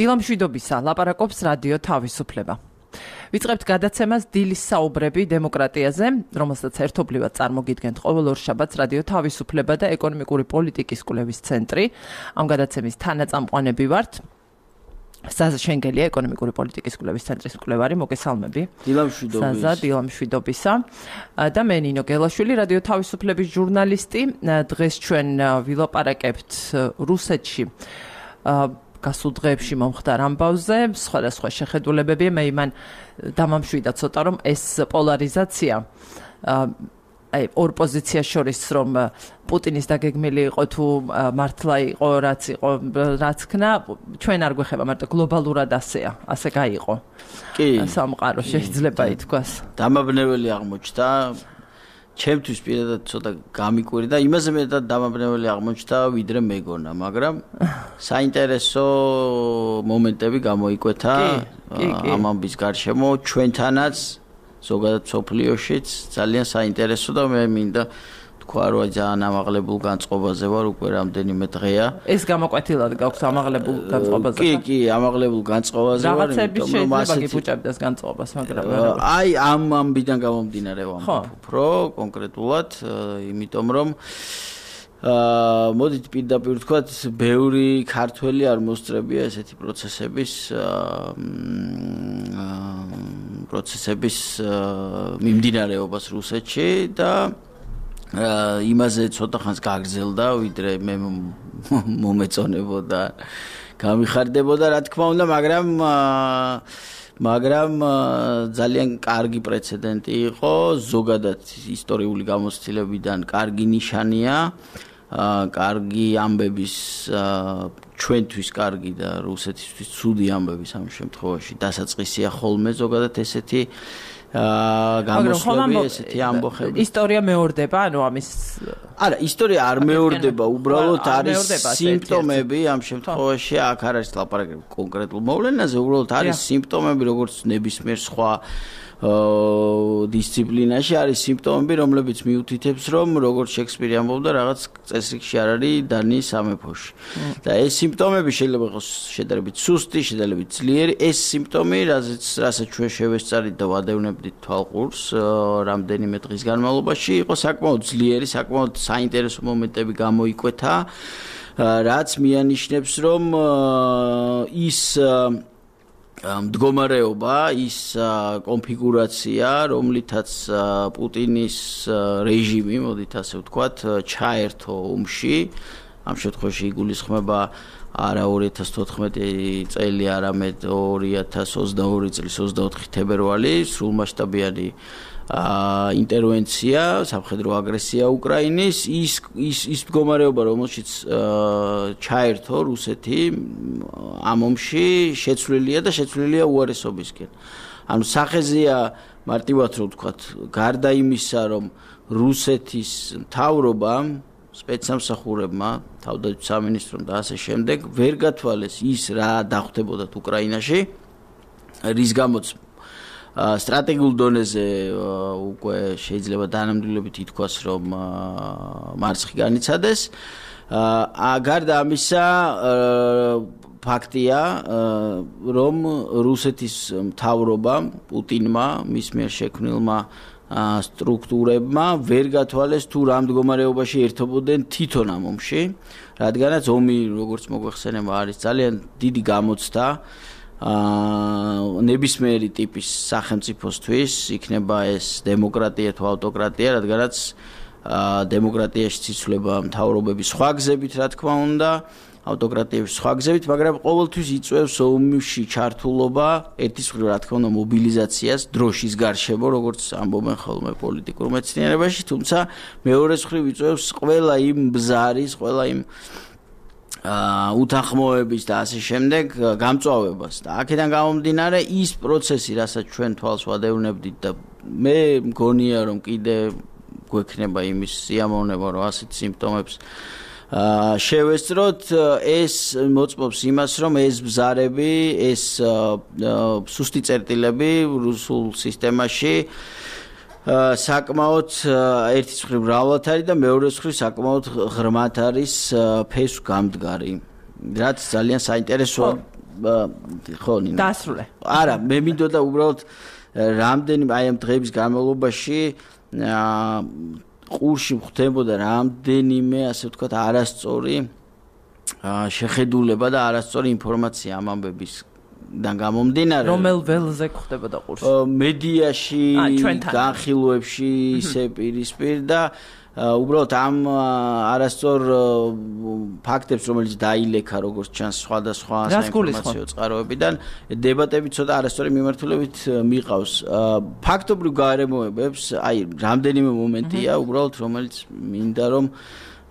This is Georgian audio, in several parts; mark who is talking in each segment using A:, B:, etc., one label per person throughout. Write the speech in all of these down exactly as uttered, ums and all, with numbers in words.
A: დილა მშვიდობისა, ლაპარაკობს რადიო თავისუფლება. ვიწყებთ გადაცემას დილის საუბრები დემოკრატიაზე, რომელსაც ერთობლივად წარმოგიდგენთ ყოველ ორ შაბათს რადიო თავისუფლება და ეკონომიკური პოლიტიკის კვლევის ცენტრი. ამ გადაცემის თანაწამყვანები ვართ. საზა შენგელია, ეკონომიკური პოლიტიკის კვლევის ცენტრის მკვლევარი, მოგესალმები.
B: დილა მშვიდობისა.
A: საზა, დილა მშვიდობისა. და მე ნინო გელაშვილი, რადიო თავისუფლების ჟურნალისტი. დღეს ჩვენ ვილაპარაკებთ რუსეთში გასულ დღეებში მომხდარ ამბავზე, სხვადასხვა შეხედულებებია, მე იმან დამამშვიდა ცოტა, რომ ეს პოლარიზაცია აი ორ პოზიციას შორის რომ პუტინის დაგეგმილი იყო თუ მართლა იყო რაც იყო რაც ქნა, ჩვენ არ გვეხება, მარტო გლობალურად ასეა, ასე გაიყო.
B: კი.
A: სამყარო შეიძლება ითქვას.
B: დამაბნეველი აღმოჩნდა. ჩემთვის პირადად ცოტა გამიკვირდა, იმაზე მეტად დამაბნეველი აღმოჩნდა, ვიდრე მეგონა, მაგრამ საინტერესო მომენტები გამოიკვეთა ამ ამბის გარშემო, ჩვენთანაც, ზოგადად სოფლიოშიც ძალიან საინტერესო და მე მინდა თქვა, რომ ძალიან ამაღლებულ განწყობაზე ვარ უკვე რამდენიმე დღეა.
A: ეს გამოკვეთილად გაქვს ამაღლებულ განწყობაზე?
B: კი, კი, ამაღლებულ განწყობაზე ვარ,
A: რაღაცები შეიძლება გიფუჭებდეს განწყობას, მაგრამ
B: აი ამ ამბიდან გამომდინარე ვამბობ უფრო კონკრეტულად, იმიტომ რომ აა მოდით პირდაპირ ვთქვათ, ბევრი ქართველი არ მოსწრებია ესეთი პროცესების პროცესების მიმდინარეობას რუსეთში და იმაზე ცოტა ხანს გაგრძელდა, ვიდრე მე მომეწონებოდა, გამიხარდებოდა, რა თქმა უნდა, მაგრამ მაგრამ ძალიან კარგი პრეცედენტი იყო, ზოგადად ისტორიული გამოცდილებიდან კარგი ნიშანია, კარგი ამბების, ჩვენთვის კარგი და რუსეთისთვის ცუდი ამბების ამ შემთხვევაში დასაწყისია ხოლმე ზოგადად ესეთი გამოსვლები, ესეთი ამბოხები.
A: ისტორია მეორდება, ანუ ამის
B: არა, ისტორია არ მეორდება, უბრალოდ არის სიმპტომები ამ შემთხვევაში, აქ არ არის ლაპარაკი კონკრეტულ მოვლენაზე, უბრალოდ არის სიმპტომები, როგორც ნებისმიერ სხვა დისციპლინაში არის სიმპტომები, რომლებიც მიუთითებს, რომ როგორც შექსპირი ამბობდა, რაღაც წესრიგში არ არის დანიის სამეფოში. და ეს სიმპტომები შეიძლება იყოს შედარებით სუსტი, შედარებით ძლიერი, ეს სიმპტომი, რასაც რასაც ჩვენ შევესწარით და ვადევნებდით თვალყურს რამდენიმე დღის განმავლობაში, იყო საკმაოდ ძლიერი, საკმაოდ საინტერესო მომენტები გამოიკვეთა, რაც მიანიშნებს, რომ ის მდგომარეობა, ის კონფიგურაცია, რომლითაც პუტინის რეჟიმი, მოდით ასე ვთქვათ, ჩაერთო ომში, ამ შემთხვევაში იგულისხმება არა ორი ათას თოთხმეტი წელი, არამედ ორი ათას ოცდაორი წლის ოცდაოთხი თებერვალი, სრულმასშტაბიანი ინტერვენცია, სამხედრო აგრესია უკრაინის, ის ის ის მდგომარეობა, რომელშიც ჩაერთო რუსეთი ამ ომში, შეცვლილია და შეცვლილია უარესობისკენ. ანუ სახეზეა მარტივად რომ ვთქვათ, გარდა იმისა, რომ რუსეთის მთავრობამ, სპეცსამსახურებმა, თავდაცვის სამინისტრომ და ასე შემდეგ ვერ გათვალეს ის რა დახვდებოდათ უკრაინაში, რის გამოც სტრატეგიულ დონეზე უკვე შეიძლება დანამდვილებით ითქვას, რომ მარცხი განიცადეს. გარდა ამისა, ფაქტია, რომ რუსეთის მთავრობამ, პუტინმა, მის მიერ შექმნილმა სტრუქტურებმა ვერ გათვალეს თუ რა მდგომარეობაში ერთობოდნენ თვითონ ამ ომში, რადგანაც ომი, როგორც მოგვეხსენება, არის ძალიან დიდი გამოცდა ნებისმიერი ტიპის სახელმწიფოსთვის, იქნება ეს დემოკრატია თუ ავტოკრატია, რადგანაც დემოკრატიაში იცვლება მთავრობები სხვა გზებით, რა თქმა უნდა, ავტოკრატიების სხვა გზებით, მაგრამ ყოველთვის იწვევს ომში ჩართულობა, ერთის მხრივ, რა თქმა უნდა, მობილიზაციას დროშის გარშემო, როგორც ამბობენ ხოლმე პოლიტიკურ მეცნიერებაში, თუმცა მეორეს მხრივ იწვევს ყველა იმ ბზარის, ყველა იმ უთანხმოების და ასე შემდეგ გამწვავებას და აქედან გამომდინარე ის პროცესი, რასაც ჩვენ თვალს ვადევნებდით და მე მგონია, რომ კიდე გვექნება იმის სიამოვნება, რომ ასეთ სიმპტომებს შევესწროთ, ეს მოწმობს იმას, რომ ეს ბზარები, ეს სუსტი წერტილები რუსულ სისტემაში საკმაოდ ერთის მხრივ მრავლად არის და მეორეს მხრივ საკმაოდ ღრმად არის ფესვ გამდგარი. რაც ძალიან საინტერესოა ხო ნინო.
A: დასრულე.
B: არა, მე მინდოდა უბრალოდ რამდენი აი ამ დღეების განმავლობაში ყურში ხდებოდა რამდენიმე ასე ვთქვათ არასწორი შეხედულება და არასწორი ინფორმაცია ამ ამბების დან გამომდინარე
A: რომელ ველზე ხდებოდა ყურში
B: მედიაში განხილვებში ისე პირისპირ და უბრალოდ ამ არასწორ ფაქტებს რომელიც დაილექა როგორც ჩანს სხვადასხვა საინფორმაციო წყაროებიდან დებატები ცოტა არასწორი მიმართულებით მიყავს ფაქტობრივ გარემოებებს აი რამდენიმე მომენტია უბრალოდ რომელიც მინდა რომ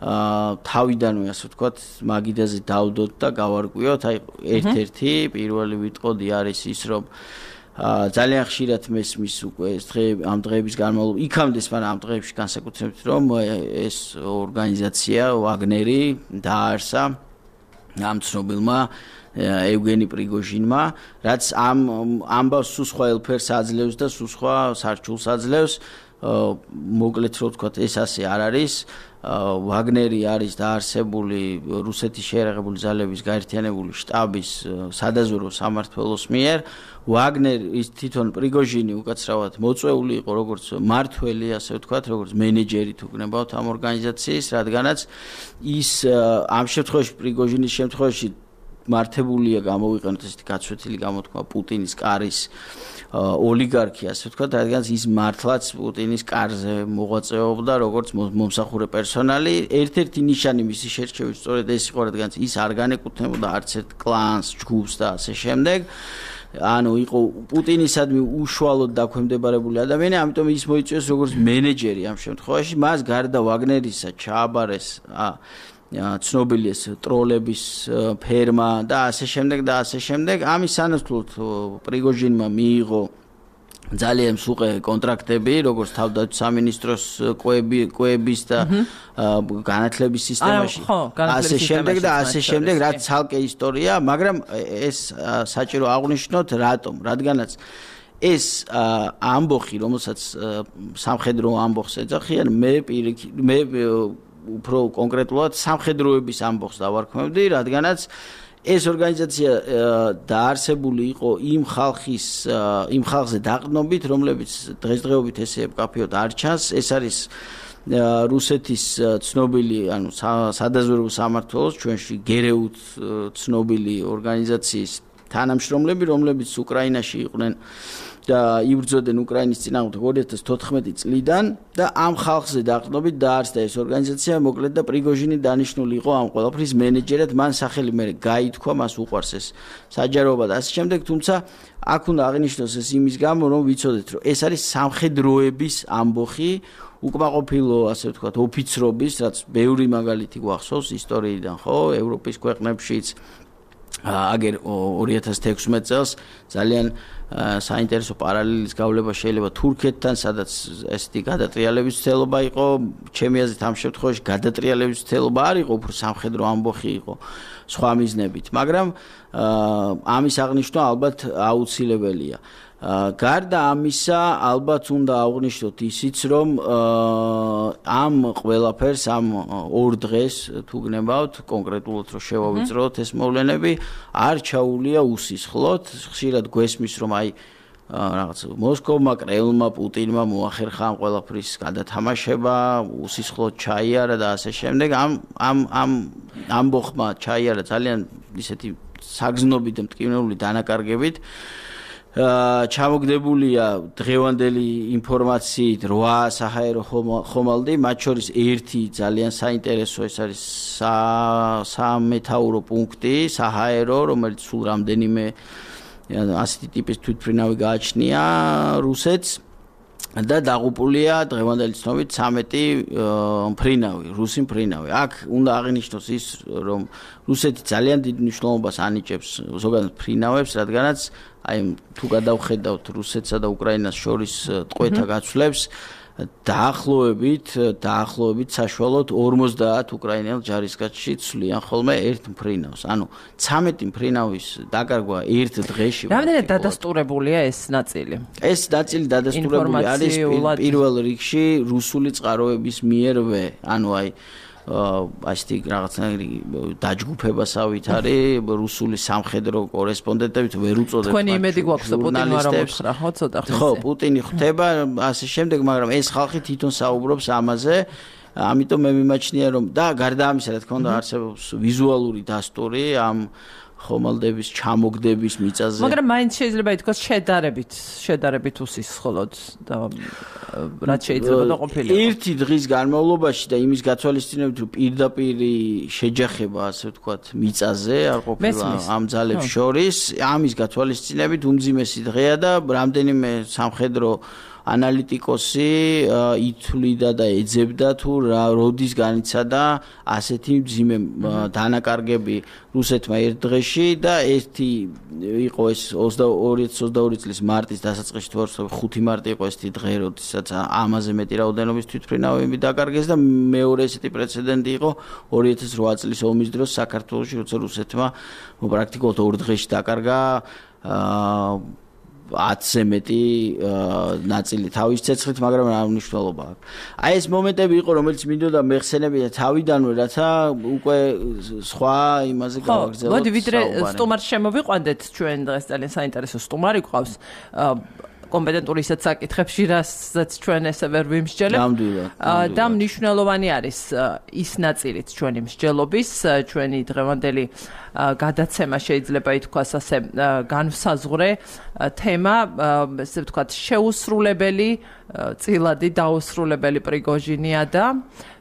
B: თავიდანვე ასე ვთქვათ მაგიდაზე დავდოთ და გავარკვიოთ აი ერთ-ერთი პირველი ვიტყოდი არის ის რომ ძალიან ხშირად მესმის უკვე ეს დღე ამ დღეების განმავლობაში იქამდე მაგრამ ამ დღეებში განსაკუთრებით რომ ეს ორგანიზაცია ვაგნერი დაარსა ამ ცნობილმა ევგენი პრიგოჟინმა რაც ამ ამბავს სულ სხვა ელფერს აძლევს და სულ სხვა სარჩულს აძლევს მოკლედ რო ვთქვათ ეს ასე არ არის ვაგნერი არის დაარსებული რუსეთის შეერაღებული ძალების გაერთიანებული შტაბის სადაზვერვო სამმართველოს მიერ ვაგნერის თვითონ პრიგოჟინი უკაცრავად მოწვეული იყო როგორც მართველი ასე ვთქვათ როგორც მენეჯერი თუ გნებავთ ამ ორგანიზაციის რადგანაც ის ამ შემთხვევაში პრიგოჟინის შემთხვევაში მართებულია გამოვიყენოთ ესეთი გაცვეთილი გამოთქმა პუტინის კარის ოლიგარქი ასე ვთქვათ რადგანაც ის მართლაც პუტინის კარზე მოღვაწეობდა როგორც მომსახურე პერსონალი ერთ-ერთი ნიშანი მისი შერჩევის სწორედ ეს იყო რადგანაც ის არ განეკუთვნებოდა არც ერთ კლანს ჯგუფს და ასე შემდეგ ანუ იყო პუტინისადმი უშუალოდ დაქვემდებარებული ადამიანი ამიტომ ის მოიწვიეს როგორც მენეჯერი ამ შემთხვევაში მას გარდა ვაგნერისა ჩააბარეს ცნობილი ეს ტროლების ფერმა და ასე შემდეგ და ასე შემდეგ ამის სანაცვლოდ პრიგოჟინმა მიიღო ძალიან სუყე კონტრაქტები როგორც თავდაცვის სამინისტროს კვების და განათლების სისტემაში ასე შემდეგ და ასე შემდეგ რაც ცალკე ისტორია მაგრამ ეს საჭირო აღვნიშნოთ რატომ რადგანაც ეს ამბოხი რომელსაც სამხედრო ამბოხს ეძახიან მე მე უფრო კონკრეტულად სამხედროების ამბოხს დავარქმევდი, რადგანაც ეს ორგანიზაცია დაარსებული იყო იმ ხალხის იმ ხალხზე დაყრდნობით, რომლებიც დღესდღეობით ესე ეკაფიოთ არ ჩანს, ეს არის რუსეთის ცნობილი, ანუ სადაზვერვო სამმართველოს ჩვენში გერეუთ ცნობილი ორგანიზაციის თანამშრომლები, რომლებიც უკრაინაში იყვნენ და იბრძოდნენ უკრაინის წინააღმდეგ ორი ათას თოთხმეტი წლიდან და ამ ხალხზე დაყრდნობით დაარსდა ეს ორგანიზაცია მოკლედ და პრიგოჟინი დანიშნული იყო ამ ყველაფრის მენეჯერად მან სახელი მე გაითქვა მას უყვარს ეს საჯაროობა და ასე შემდეგ თუმცა აქ უნდა აღინიშნოს ეს იმის გამო რომ ვიცოდეთ რომ ეს არის სამხედროების ამბოხი უკმაყოფილო ასე ვთქვათ ოფიცრობის რაც ბევრი მაგალითი გვახსოვს ისტორიიდან ხო ევროპის ქვეყნებშიც აგერ ორი ათას თექვსმეტ წელს ძალიან საინტერესო პარალელის გავლება შეიძლება თურქეთთან, სადაც ესეთი გადატრიალების ცდელობა იყო, ჩემი აზრით ამ შემთხვევაში გადატრიალების ცდელობა არ იყო, უფრო სამხედრო ამბოხი იყო სხვა მიზნებით, მაგრამ ამის აღნიშვნა ალბათ აუცილებელია. გარდა ამისა, ალბათ უნდა აღვნიშნოთ ისიც, რომ ამ ყველაფერს ამ ორ დღეს თუ გნებავთ, კონკრეტულად რომ შევავიწროთ ეს მოვლენები, არ ჩაულია უსისხლოდ, ხშირად გვესმის, რომ აი რაღაც მოსკოვმა, კრემლმა, პუტინმა მოახერხა ამ ყველაფრის გადათამაშება, უსისხლოდ ჩაიარა და ასე შემდეგ. ამ ამ ამ ამბოხმა ჩაიარა ძალიან ისეთი საგზნობით და მტკივნეული დანაკარგებით. ჩამოგდებულია დღევანდელი ინფორმაციით რვა საჰაერო ხომალდი, მათ შორის ერთი ძალიან საინტერესო ეს არის სამეთაურო პუნქტი, საჰაერო, რომელიც სულ რამდენიმე ასეთი ტიპის თვითმფრინავი გააჩნია რუსეთს და დაღუპულია დღევანდელი ცნობით ცამეტი მფრინავი, რუსი მფრინავი. აქ უნდა აღინიშნოს ის, რომ რუსეთი ძალიან დიდ მნიშვნელობას ანიჭებს ზოგადად მფრინავებს, რადგანაც აი თუ გადავხედავთ რუსეთსა და უკრაინას შორის ტყვეთა გაცვლებს, დაახლოებით, დაახლოებით საშუალოდ ორმოცდაათ უკრაინელ ჯარისკაცში ცვლიან ხოლმე ერთ მფრინავს. ანუ ცამეტი მფრინავის დაკარგვა ერთ დღეში.
A: რამდენად დადასტურებულია ეს ნაწილი?
B: ეს ნაწილი დადასტურებული არის პირველ რიგში რუსული წყაროების მიერვე, ანუ აი ასეთი რაღაცნაირი დაჯგუფებასავით არის რუსული სამხედრო კორესპონდენტებით ვერ უწოდებს.
A: თქვენი იმედი გვაქვს პუტინმა რომ უთხრა, ხო, ცოტა ხნის.
B: ხო, პუტინი ხვდება ასე შემდეგ, მაგრამ ეს ხალხი თვითონ საუბრობს ამაზე. ამიტომ მე მიმაჩნია რომ და გარდა ამისა, რა თქმა უნდა, არსებობს ვიზუალური დასტური ამ ხომალდების ჩამოგდების მიწაზე.
A: მაგრამ მაინც შეიძლება ითქვას შედარებით, შედარებით უსისხლოდ და რაც შეიძლება და ყოფილიყო.
B: ერთი დღის განმავლობაში და იმის გათვალისწინებით რომ პირდაპირი შეჯახება, ასე ვთქვათ, მიწაზე არ ყოფილა ამ ძალებს შორის, ამის გათვალისწინებით უმძიმესი დღეა და რამდენიმე სამხედრო ანალიტიკოსი ითვლიდა და ეძებდა თუ როდის განიცადა ასეთი მძიმე დანაკარგები რუსეთმა ერთ დღეში და ერთი იყო ეს ორი ათი ოცდაორი წლის მარტის დასაწყისში თუ არ ხუთი მარტი იყო ესეთი დღე, როდესაც ამაზე მეტი რაოდენობის თვითმფრინავები დაკარგეს და მეორე ესეთი პრეცედენტი იყო ორი ათი რვა წლის ომის დროს საქართველოში, როცა რუსეთმა პრაქტიკულად ორ დღეში დაკარგა ათზე მეტი ნაწილი თავის ცეცხლით, მაგრამ რა მნიშვნელობა აქვს. აი ეს მომენტები იყო, რომელიც მინდოდა მეხსენებინა თავიდანვე, რათა უკვე სხვა იმაზე გავაგრძელოთ.
A: მოდი ვიდრე სტუმარს შემოვიყვანდეთ, ჩვენ დღეს ძალიან საინტერესო სტუმარი გვყავს. კომპეტენტური ისეთ საკითხებში, რასაც ჩვენ ესე ვერ ვიმსჯელებთ. და მნიშვნელოვანი არის ის ნაწილიც ჩვენი მსჯელობის, ჩვენი დღევანდელი გადაცემა შეიძლება ითქვას ასე განსაზღვრე თემა, ესე ვთქვათ, შეუსრულებელი, წილადი დაუსრულებელი პრიგოჟინია და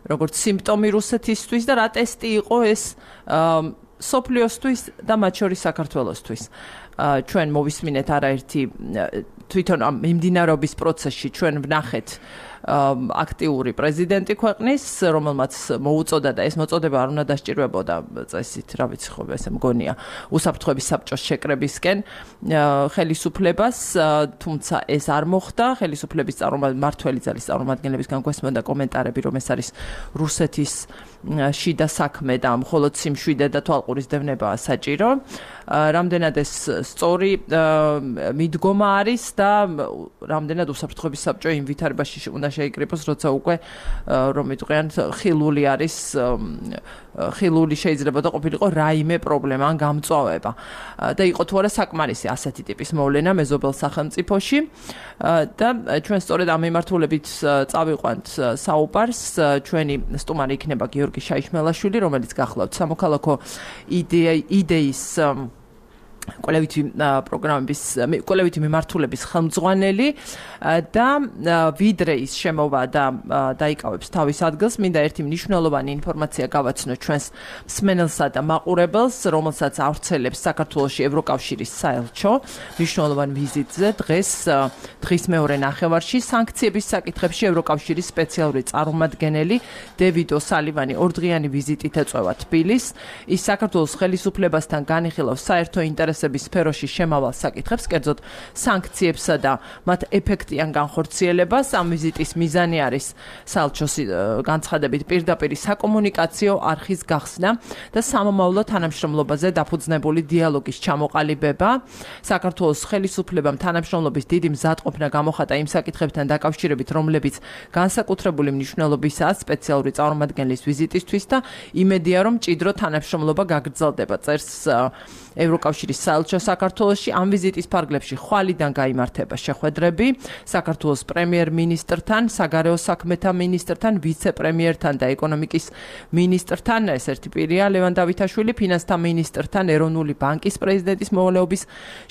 A: როგორც სიმპტომი რუსეთისთვის და რა ტესტი იყო ეს სოფლიოსთვის და მათ შორის საქართველოსთვის. ჩვენ მოვისმინეთ არაერთი თვითონ ამ მიმდინარეობის პროცესში ჩვენ ვნახეთ აქტიური პრეზიდენტი ქვეყნის, რომელმაც მოუწოდა და ეს მოწოდება არ უნდა დასჭირვებოდა წესით, რა ვიცი ხო, ესე მგონია, უსაფრთხოების საბჭოს შეკრებისკენ ხელისუფლებას, თუმცა ეს არ მოხდა, ხელისუფლების მმართველი ძალის წარმომადგენლებისგან გვესმოდა კომენტარები, რომ ეს არის რუსეთის შიდა საქმე და მხოლოდ სიმშვიდე და თვალყურის დევნებაა საჭირო. რამდენად ეს სწორი მიდგომა არის და რამდენად უსაფრთხოების საბჭო იმ ვითარებაში უნდა შეიკრიბოს, როცა უკვე რომ იტყვიან ხილული არის, ხილული შეიძლება და ყოფილიყო რაიმე პრობლემა ან გამწვავება და იყო თუ არა საკმარისი ასეთი ტიპის მოვლენა მეზობელ სახელმწიფოში და ჩვენ სწორედ ამ მიმართულებით წავიყვანთ საუბარს. ჩვენი სტუმარი იქნება გიორგი შაიშმელაშვილი, რომელიც გახლავთ სამოქალაქო იდეის კოლექტივი პროგრამების კოლექტივი მიმართულების ხელმძღვანელი და ვიდრე ის შემოვა და დაიკავებს თავის ადგილს, მინდა ერთი მნიშვნელოვანი ინფორმაცია გავაცნო ჩვენს მსმენელსა და მაყურებელს, რომელსაც ავრცელებს საქართველოში ევროკავშირის საელჩო მნიშვნელოვან ვიზიტზე დღეს დღის მეორე ნახევარში სანქციების საკითხებში ევროკავშირის სპეციალური წარმომადგენელი დევიდ ოსალივანი ორდღიანი ვიზიტით ეწევა თბილისს. ის საქართველოს ხელისუფლებასთან განიხილავს საერთო ინტერესების სფეროში შემავალ საკითხებს, კერძოდ სანქციებსა და მათ ეფექტიან განხორციელებას. ამ ვიზიტის მიზანი არის საელჩოს განცხადებით პირდაპირი საკომუნიკაციო არხის გახსნა და სამომავლო თანამშრომლობაზე დაფუძნებული დიალოგის ჩამოყალიბება. საქართველოს ხელისუფლებამ თანამშრომლობის დიდი მზადყოფნა გამოხატა იმ საკითხებთან დაკავშირებით, რომლებიც განსაკუთრებული მნიშვნელობისაა სპეციალური წარმომადგენლის ვიზიტისთვის და იმედია, რომ მჭიდრო თანამშრომლობა გაგრძელდება. წერს ევროკავშირის საელჩო საქართველოში. ამ ვიზიტის ფარგლებში ხვალიდან გაიმართება შეხვედრები საქართველოს პრემიერ-მინისტრთან, საგარეო საქმეთა მინისტრთან, ვიცე-პრემიერთან და ეკონომიკის მინისტრთან, ეს ერთი პირია ლევან დავითაშვილი, ფინანსთა მინისტრთან, ეროვნული ბანკის პრეზიდენტის მოვალეობის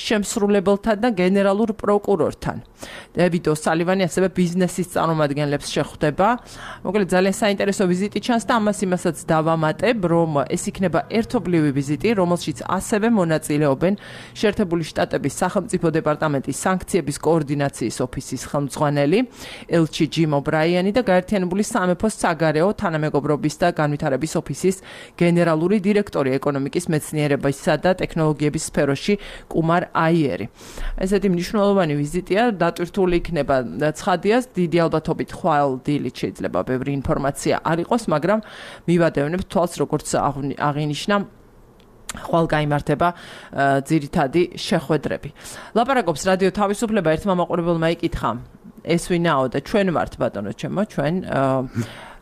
A: შემსრულებელთან და გენერალურ პროკურორთან. დევიდ ოსალივანი ასევე ბიზნესის წარმომადგენლებს შეხვდება. მოკლედ ძალიან საინტერესო ვიზიტი ჩანს და ამას იმასაც დავამატებ, რომ ეს იქნება ერთობლივი ვიზიტი, რომელშიც ასევე მონაწილეობენ შეერთებული შტატების სახელმწიფო დეპარტამენტის სანქციების კოორდინაციის ოფისის ხელმძღვანელი ელჩი ჯიმ ობრაიანი და გაერთიანებული სამეფოს საგარეო თანამეგობრობის და განვითარების ოფისის გენერალური დირექტორი ეკონომიკის მეცნიერებისა და ტექნოლოგიების სფეროში კუმარ აიერი. ესეთი მნიშვნელოვანი ვიზიტია, დატვირთული იქნება ცხადიას, დიდი ალბათობით ხვალ დილით შეიძლება ბევრი ინფორმაცია არ იყოს, მაგრამ მივადევნებ თვალს, როგორც აღინიშნა ხვალ გაიმართება ძირითადი შეხვედრები. ლაპარაკობს რადიო თავისუფლება, ერთმა მაყურებელმა იკითხა, ეს ვინაო და ჩვენ ვართ ბატონო ჩემო, ჩვენ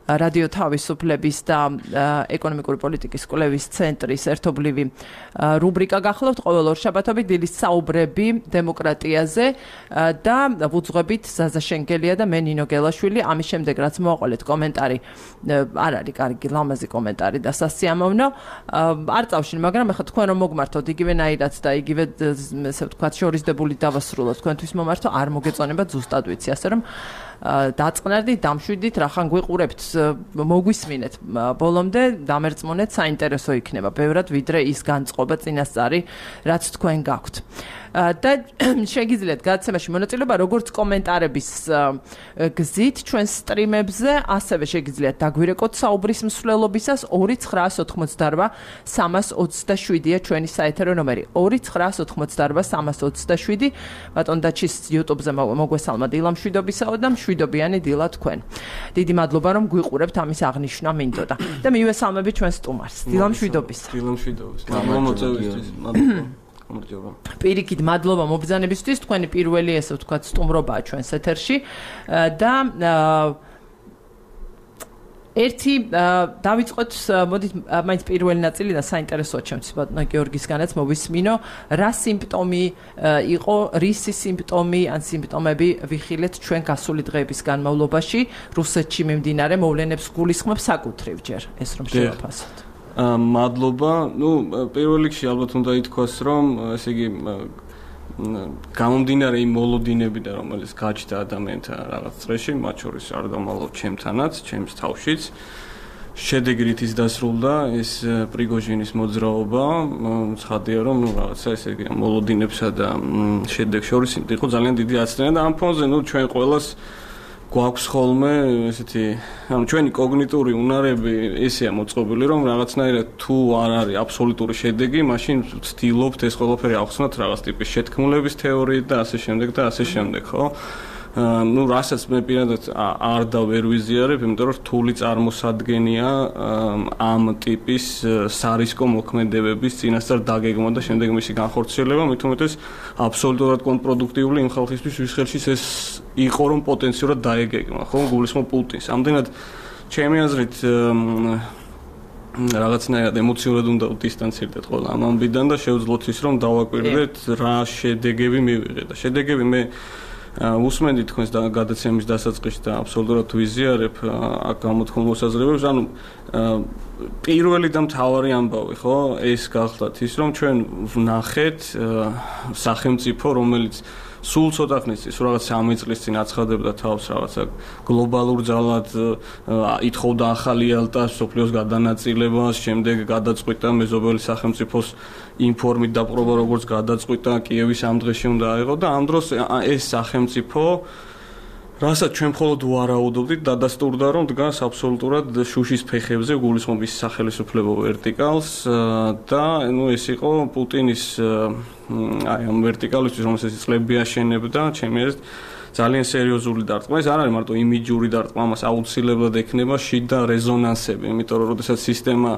A: რადიო თავისუფლების და ეკონომიკური პოლიტიკის კვლევის ცენტრის ერთობლივი რუბრიკა გახლავთ ყოველ ორშაბათობით დილის საუბრები დემოკრატიაზე და ვუძღვებით ზაზა შენგელია და მე ნინო გელაშვილი. ამის შემდეგ რაც მოაყოლეთ კომენტარი არ არის კარგი ლამაზი კომენტარი და სასიამოვნო არ წავშინ, მაგრამ ეხლა თქვენ რომ მოგმართოთ იგივენაირად და იგივე ესე ვთქვათ შორისდებული დავასრულოთ თქვენთვის მომართო არ მოგეწონება ზუსტად ვიცი, ასე რომ დაწყნარდით, დამშვიდით, რახან გვიყურებთ, მოგვისმინეთ ბოლომდე, დამერწმუნეთ, საინტერესო იქნება ბევრად ვიდრე ის განწყობა წინასწარი, რაც თქვენ გაქვთ. და შეგიძლიათ გადაცემაში მონაწილეობა როგორც კომენტარების გზით ჩვენ სტრიმებზე, ასევე შეგიძლიათ დაგვირეკოთ საუბრის მსვლელობისას ორი ცხრაას ოთხმოცდარვა სამას ოცდაშვიდია ჩვენი საეთერო ნომერი ორი ცხრაას ოთხმოცდარვა სამას ოცდაშვიდი. ბატონ დაჩის YouTube-ზე მოგვესალმა დილა მშვიდობისაო და მშვიდობიანი დილა თქვენ. დიდი მადლობა რომ გვიყურებთ, ამის აღნიშვნა მინდოდა. და მივესალმები ჩვენ სტუმარს. დილა მშვიდობისა.
C: დილა მშვიდობის. მადლობა მოწვევისთვის. მადლობა.
A: პირიქით მადლობა მობრძანებისთვის, თქვენი პირველი ესე ვთქვათ სტუმრობაა ჩვენს ეთერში და ერთი დავიწყოთ, მოდით მაინც პირველი ნაწილი და საინტერესოა ჩემთვის ბატონო გიორგისგანაც მოვისმინო, რა სიმპტომი იყო, რისი სიმპტომი ან სიმპტომები ვიხილეთ ჩვენ გასული დღეების განმავლობაში რუსეთში მიმდინარე მოვლენებს გულისხმობს საკუთრივ ჯერ ეს რომ შევაფასოთ.
C: მადლობა. ნუ პირველ რიგში ალბათ უნდა ითქვას, რომ ესე იგი გამომდინარე იმ მოლოდინებიდან, რომელიც გაჩნდა ადამიანთა რაღაც წრეში, მათ შორის არ დამალავ ჩემთანაც, ჩემს თავშიც. შედეგი რითიც დასრულდა ეს პრიგოჟინის მოძრაობა, ცხადია, რომ ნუ რაღაცა ესე იგი მოლოდინებსა და შედეგ შორის იყო ძალიან დიდი აცნება და ამ ფონზე ნუ ჩვენ ყველას გვაქვს ხოლმე ესეთი, ანუ ჩვენი კოგნიტური უნარები ესეა მოწყობილი, რომ რაღაცნაირად თუ არ არის აბსოლუტური შედეგი, მაშინ ვცდილობთ ეს ყველაფერი ავხსნათ რაღაც ტიპის შეთქმულების თეორიით და ასე შემდეგ და ასე შემდეგ, ხო? ну, რასაც მე პირადად არ და ვერ ვიზიარებ, იმიტომ რომ რთული წარმოსადგენია ამ ტიპის სარისკო მოქმედებების წინასწარ დაგეგმა და შემდეგ მისი განხორციელება, მით უმეტეს აბსოლუტურად კონტრპროდუქტიული იმ ხალხისთვის, ვის ხელში ეს იყო, რომ პოტენციურად დაეგეგმა, ხო, გულისხმობ პუტინს. ამდენად ჩემი აზრით რაღაცნაირად ემოციურად უნდა დისტანცირდეთ ყველა ამ ამბიდან და შევძლოთ ის, რომ დავაკვირდეთ რა შედეგები მივიღეთ და შედეგები მე უსმენდი თქვენს გადაცემის დასაწყისში და აბსოლუტურად ვიზიარებ აქ გამოთქმულ მოსაზრებებს, ანუ პირველი და მთავარი ამბავი, ხო, ეს გახლავთ ის, რომ ჩვენ ვნახეთ სახელმწიფო, რომელიც სულ ცოტა ხნის წინ, რაღაც სამი წლის წინ აცხადებდა თავს რაღაცა გლობალურ ძალად, ითხოვდა ახალი ალტას, სოფლიოს გადანაწილებას, შემდეგ გადაწყვიტა მეზობელი სახელმწიფოს ინფორმით დაპყრობა, როგორც გადაწყვიტა კიევის ამ დღეში უნდა აიღო და ამ დროს ეს სახელმწიფო რასაც ჩვენ მხოლოდ ვარაუდობდით, დადასტურდა, რომ დგას აბსოლუტურად შუშის ფეხებზე, გულისხმობ ის სახელმწიფო ვერტიკალს და ნუ ეს იყო პუტინის აი ამ ვერტიკალისთვის, რომელსაც წლები აშენებდა, ჩემი აზრით ძალიან სერიოზული დარტყმა. ეს არ არის მარტო იმიჯური დარტყმა, მას აუცილებლად ექნება შიდა რეზონანსები, იმიტომ რომ როდესაც სისტემა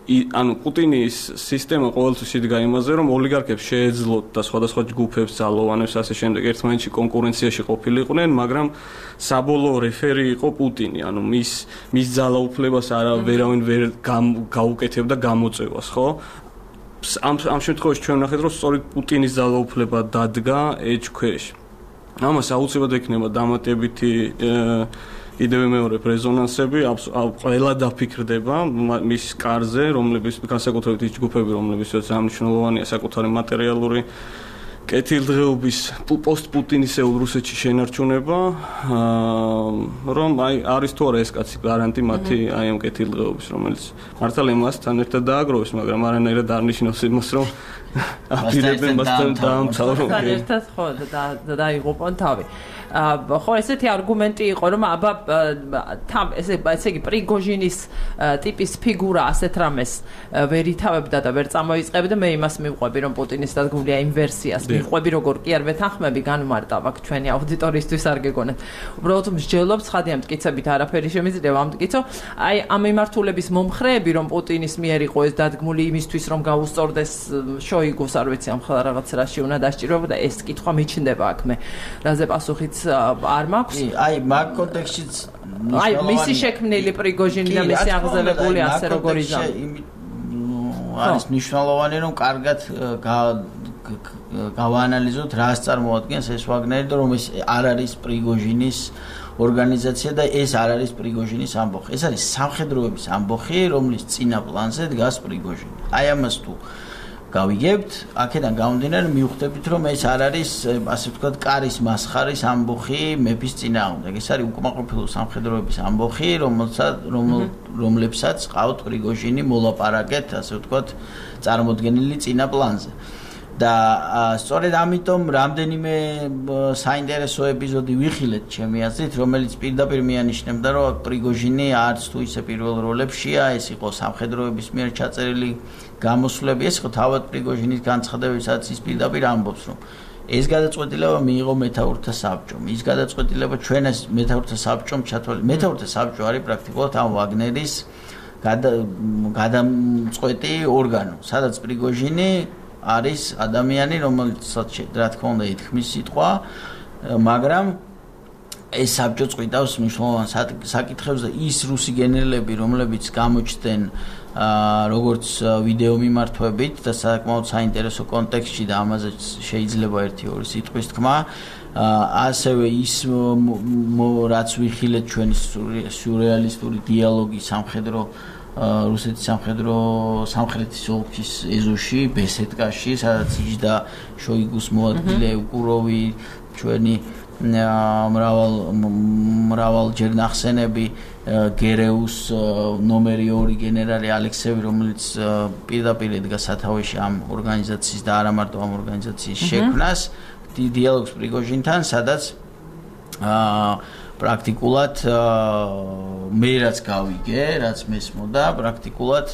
C: ანუ პუტინის სისტემა ყოველთვის იდგა იმაზე, რომ ოლიგარქებს შეეძლოთ და სხვადასხვა ჯგუფებს, ძალოვანებს ასე შემდეგ ერთმანეთში კონკურენციაში ყოფილიყვნენ, მაგრამ საბოლოო რეფერი იყო პუტინი, ანუ მის მის ძალაუფლებას არა ვერავინ ვერ გაუკეთებდა გამოწევას, ხო? ამ ამ შემთხვევაში ჩვენ ვნახეთ, რომ სწორედ პუტინის ძალაუფლება დადგა ეჭ ქვეშ. ამას აუცილებლად ექნება დამატებითი კიდევ მეორე რეზონანსები, ყველა დაფიქრდება მის კარზე, რომლებიც განსაკუთრებით ის ჯგუფები, რომლებიც ამნიშნულოვანია საკუთარი მატერიალური კეთილდღეობის პოსტ-პუტინისეულ რუსეთში შენარჩუნება, რომ აი არის თუ არა ეს კაცი გარანტი მათი აი ამ კეთილდღეობის, რომელიც მართალ ემასთან ერთად დააგროვეს, მაგრამ არანაირად არ ნიშნავს იმას, რომ აპირებენ მასთან დაამთავრონ.
A: ერთად ხო და დაიღუპონ თავი. ხო, ესეთი არგუმენტი იყო, რომ აბა თან ესე ესე იგი პრიგოჟინის ტიპის ფიგურა ასეთ რამეს ვერ ითავებდა და ვერ წამოიწყებდა, მე იმას მივყვები, რომ პუტინის დადგმულია იმ ვერსიას მივყვები, როგორ კი არ ვეთანხმები, განმარტავ აქ ჩვენი აუდიტორიისთვის არ გეგონათ. უბრალოდ მსჯელობ, ცხადია მტკიცებით არაფერი შემიძლია ამტკიცო. აი ამ მიმართულების მომხრეები, რომ პუტინის მიერ იყო ეს დადგმული იმისთვის, რომ გაუსწორდეს შოი შოიგუს არ ვიცი ამ ხალხ რაღაც რაში უნდა დასჭიროება და ეს კითხვა მიჩნდება აქ მე რაზე პასუხიც არ მაქვს
B: აი მაგ კონტექსტშიც
A: აი მისი შექმნილი პრიგოჟინი და მისი აღზევებული ასე როგორ იზამ
B: არის მნიშვნელოვანი რომ კარგად გავაანალიზოთ რას წარმოადგენს ეს ვაგნერი და რომ ეს არ არის პრიგოჟინის ორგანიზაცია და ეს არ არის პრიგოჟინის ამბოხი. ეს არის სამხედროების ამბოხი, რომლის წინა პლანზე დგას პრიგოჟინი. აი ამას თუ გავიგებთ, აქედან გამომდინარე მივხვდებით, რომ ეს არ არის, ასე ვთქვათ, კარის მასხარის ამბოხი მეფის წინააღმდეგ. ეს არის უკმაყოფილო სამხედროების ამბოხი, რომელსაც რომლებსაც ყავთ პრიგოჟინი მოლაპარაკეთ, ასე ვთქვათ, წარმოდგენილი წინა პლანზე. და სწორედ ამიტომ რამდენიმე საინტერესო ეპიზოდი ვიხილეთ ჩემი აზრით, რომელიც პირდაპირ მიანიშნებდა, რომ პრიგოჟინი არც თუ ისე პირველ როლებშია, ეს იყო სამხედროების მიერ ჩაწერილი გამოსვლები, ეს იყო თავად პრიგოჟინის განცხადებებსაც ის პირდაპირ ამბობს, რომ ეს გადაწყვეტილება მიიღო მეთაურთა საბჭომ. ის გადაწყვეტილება ჩვენ ეს მეთაურთა საბჭომ ჩათვალე. მეთაურთა საბჭო არის პრაქტიკულად ამ ვაგნერის გადამწყვეტი ორგანო, სადაც პრიგოჟინი არის ადამიანი, რომელსაც რა თქმა უნდა ითქმის სიტყვა, მაგრამ ეს საბჭო წვითავს მნიშვნელოვან საკითხებს და ის რუსი გენერლები, რომლებიც გამოჩნდნენ როგორც ვიდეო მიმართვებით და საკმაოდ საინტერესო კონტექსტში და ამაზე შეიძლება ერთი-ორი სიტყვის თქმა, ასევე ის რაც ვიხილეთ ჩვენი სიურეალისტური დიალოგი სამხედრო რუსეთის სამხედრო სამხრეთის ოლქის ეზოში, ბესედკაში, სადაც იჯდა შოიგუს მოადგილე ევკუროვი, ჩვენი მრავალ მრავალჯერ ნახსენები გერეუს ნომერი ორი გენერალი ალექსევი, რომელიც პირდაპირ ედგა სათავეში ამ ორგანიზაციის და არა მარტო ამ ორგანიზაციის შექმნას, დიალოგს პრიგოჟინთან, სადაც პრაქტიკულად მე რაც გავიგე, რაც მესმოდა, პრაქტიკულად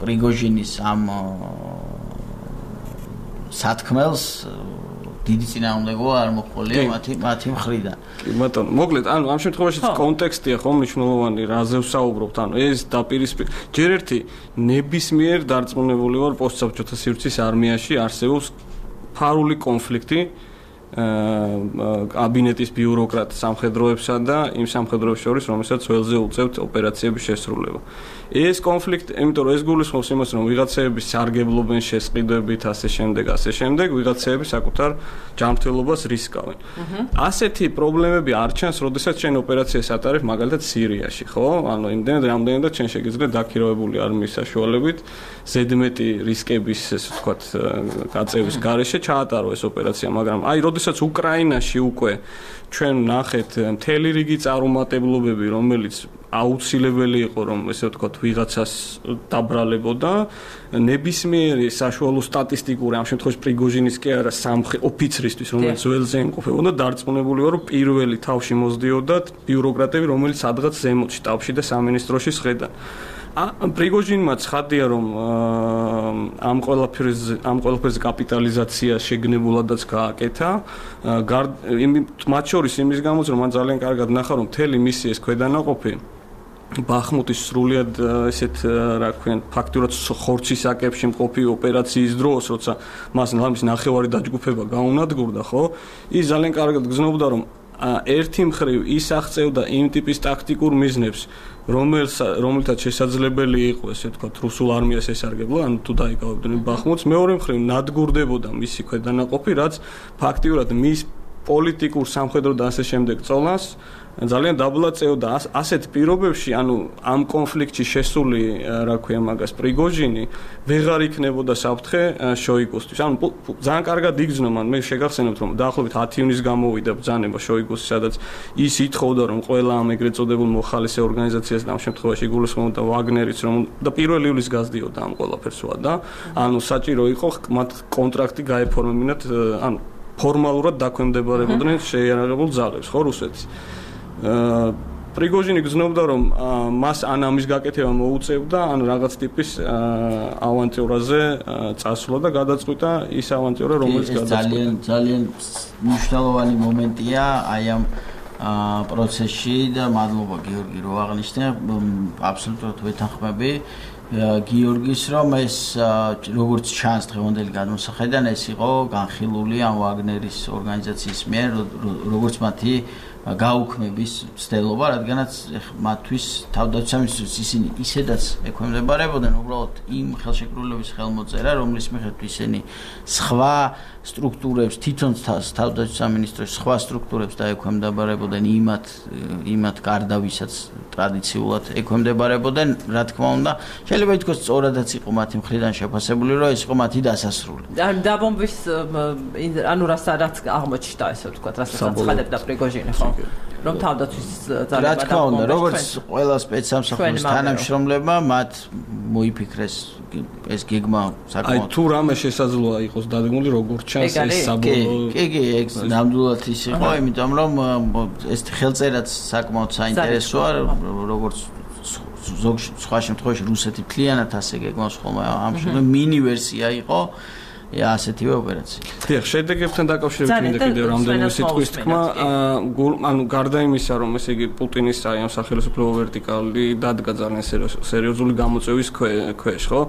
B: პრიგოჟინის ამ სათქმელს დიდი წინააღმდეგობა არ მოხოლია მათი მათი მხრიდან.
C: კი ბატონო, მოკლედ, ანუ ამ შემთხვევაში კონტექსტია ხომ მნიშვნელოვანი, რაზე ვსაუბრობთ, ანუ ეს დაპირისპირ ჯერ ერთი ნებისმიერ დარწმუნებული ვარ პოსტსაბჭოთა სივრცის არმიაში არსებობს ფარული კონფლიქტი კაბინეტის ბიუროკრატ სამხედროებსა და იმ სამხედროებს შორის, რომელსაც ველზე უწევთ ოპერაციების შესრულება. ეს კონფლიქტი, იმიტომ რომ ეს გულისხმობს იმას, რომ ვიღაცეები სარგებლობენ შესყიდვებით, ასე შემდეგ, ასე შემდეგ, ვიღაცეები საკუთარ ჯანმრთელობას რისკავენ. ასეთი პრობლემები არ ჩანს, როდესაც ჩვენ ოპერაციას ატარებ მაგალითად სირიაში, ხო? ანუ იმდენად რამდენადაც ჩვენ შეგიძლია დაქირავებული არმიის საშუალებით ზედმეტი რისკების, ესე ვთქვათ, გაწევის გარეშე ჩაატარო ეს ოპერაცია, მაგრამ აი როდესაც უკრაინაში უკვე ჩვენ ნახეთ მთელი რიგი წარუმატებლობები, რომელიც აუცილებელი იყო, რომ ესე ვთქვათ, ვიღაცას დაბრალებოდა, ნებისმიერი საშუალო სტატისტიკური, ამ შემთხვევაში პრიგოჟინის კი არა, სამხედრო ოფიცრისთვის, რომელიც ველზე იმყოფებოდა, დარწმუნებული ვარ, რომ პირველი თავში მოსდიოდათ ბიუროკრატები, რომელიც სადღაც ზემოთ შტაბში და სამინისტროში შედან. პრიგოჟინმა ცხადია, რომ ამ ყველაფერს ამ ყველაფერს კაპიტალიზაცია შეგნებულადაც გააკეთა. მათ შორის იმის გამოც, რომ მან ძალიან კარგად ნახა, რომ მთელი მისი ეს ქვედანაყოფი ბახმუტის სრულიად ესეთ რა ქვია, ფაქტურად ხორცის აკებში მყოფი ოპერაციის დროს, როცა მას ლამის ნახევარი დაჯგუფება გაუნადგურდა, ხო? ის ძალიან კარგად გრძნობდა, რომ ერთი მხრივ ის აღწევდა იმ ტიპის ტაქტიკურ მიზნებს, რომელთაც შესაძლებელი იყო, ესე ვთქვათ, რუსულ არმიას ესარგებლა, ანუ თუ დაიკავებდნენ ბახმუტს, მეორე მხრივ ნადგურდებოდა მისი ქვედანაყოფი, რაც ფაქტიურად მის პოლიტიკურ სამხედრო და ასე შემდეგ წოლას ძალიან დაბლაწეოდა. ასეთ პირობებში, ანუ ამ კონფლიქტში შესული, რა ქვია მაგას, პრიგოჟინი ვეღარ იქნებოდა საფრთხე შოიგუსთვის. ანუ ძალიან კარგად იგრძნო მან, მე შეგახსენებთ, რომ დაახლოებით ათი ივნის გამოვიდა ბრძანება შოიგუსის, სადაც ის ითხოვდა, რომ ყველა ამ ეგრეთ წოდებულ მოხალისე ორგანიზაციას და ამ შემთხვევაში გულისხმობდა ვაგნერიც, რომ და პირველი ივლისს გაზდიოდა ამ ყველაფერს და ანუ საჭირო იყო მათ კონტრაქტი გაეფორმებინათ, ანუ ფორმალურად დაქვემდებარებოდნენ შეიარაღებულ ძალებს, ხო, რუსეთის. პრიგოჟინი გრძნობდა, რომ მას ან ამის გაკეთება მოუწევდა, ან რაღაც ტიპის ავანტიურაზე წასვლა და გადაწყვიტა ის ავანტიურა, რომელიც გადაწყვიტა.
B: ძალიან ძალიან მნიშვნელოვანი მომენტია აი ამ პროცესში და მადლობა გიორგი რომ აღნიშნე, აბსოლუტურად ვეთანხმები. გიორგის რომ ეს როგორც ჩანს დღევანდელი გადმოსახედიდან ეს იყო განხილული ამ ვაგნერის ორგანიზაციის მიერ როგორც მათი გაუქმების ცდელობა, რადგანაც მათთვის თავდაცვის ისინი ისედაც ექვემდებარებოდნენ უბრალოდ იმ ხელშეკრულების ხელმოწერა, რომლის მიხედვით ისინი სხვა სტრუქტურებს, თვითონ თავდაცვის სამინისტროს სხვა სტრუქტურებს დაექვემდებარებოდნენ იმათ იმათ გარდა ვისაც ტრადიციულად ექვემდებარებოდნენ, რა თქმა უნდა, შეიძლება ითქვას სწორადაც იყო მათი მხრიდან შეფასებული, რომ ეს იყო მათი დასასრული.
A: ან დაბომბვის ანუ რასაც აღმოჩნდა, ესე ვთქვათ, რასაც აცხადებდა პრიგოჟინი, ხო? რომ თავდაცვის ძალება
B: რა თქმა უნდა, როგორც ყველა სპეცსამსახურის თანამშრომლებმა მათ მოიფიქრეს ეს გეგმა საკმაოდ.
C: აი თუ რამე შესაძლოა იყოს დადგმული, როგორც ჩანს ეს საბოლოო.
B: კი, კი, ეგ ნამდვილად ის იყო, იმიტომ რომ ეს ხელწერაც საკმაოდ საინტერესოა, როგორც ზოგ სხვა შემთხვევაში რუსეთი მთლიანად ასე გეგმავს ხოლმე ამ შემთხვევაში მინი ვერსია იყო ასეთივე ოპერაცია.
C: დიახ, შედეგებთან დაკავშირებით მინდა კიდევ რამდენიმე სიტყვის თქმა, ანუ გარდა იმისა, რომ ესე იგი პუტინის აი ამ სახელმწიფო ვერტიკალი დადგა ძალიან სერიოზული გამოწვევის ქვეშ, ხო?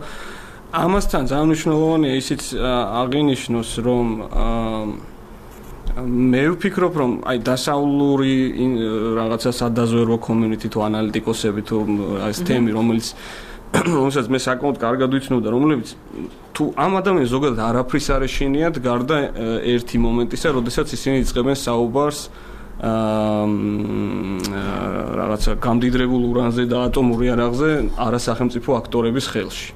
C: ამასთან ძალიან მნიშვნელოვანია ისიც აღინიშნოს, რომ მე ვფიქრობ, რომ აი დასავლური რაღაცა სადაზვერვო კომიუნიტი თუ ანალიტიკოსები თუ ეს თემი, რომელიც რომელსაც მე საკმაოდ კარგად ვიცნობდა, რომლებიც თუ ამ ადამიანს ზოგადად არაფრის არ ეშინიათ გარდა ერთი მომენტისა, როდესაც ისინი იწყებენ საუბარს რაღაცა გამდიდრებულ ურანზე და ატომურ იარაღზე არასახელმწიფო აქტორების ხელში.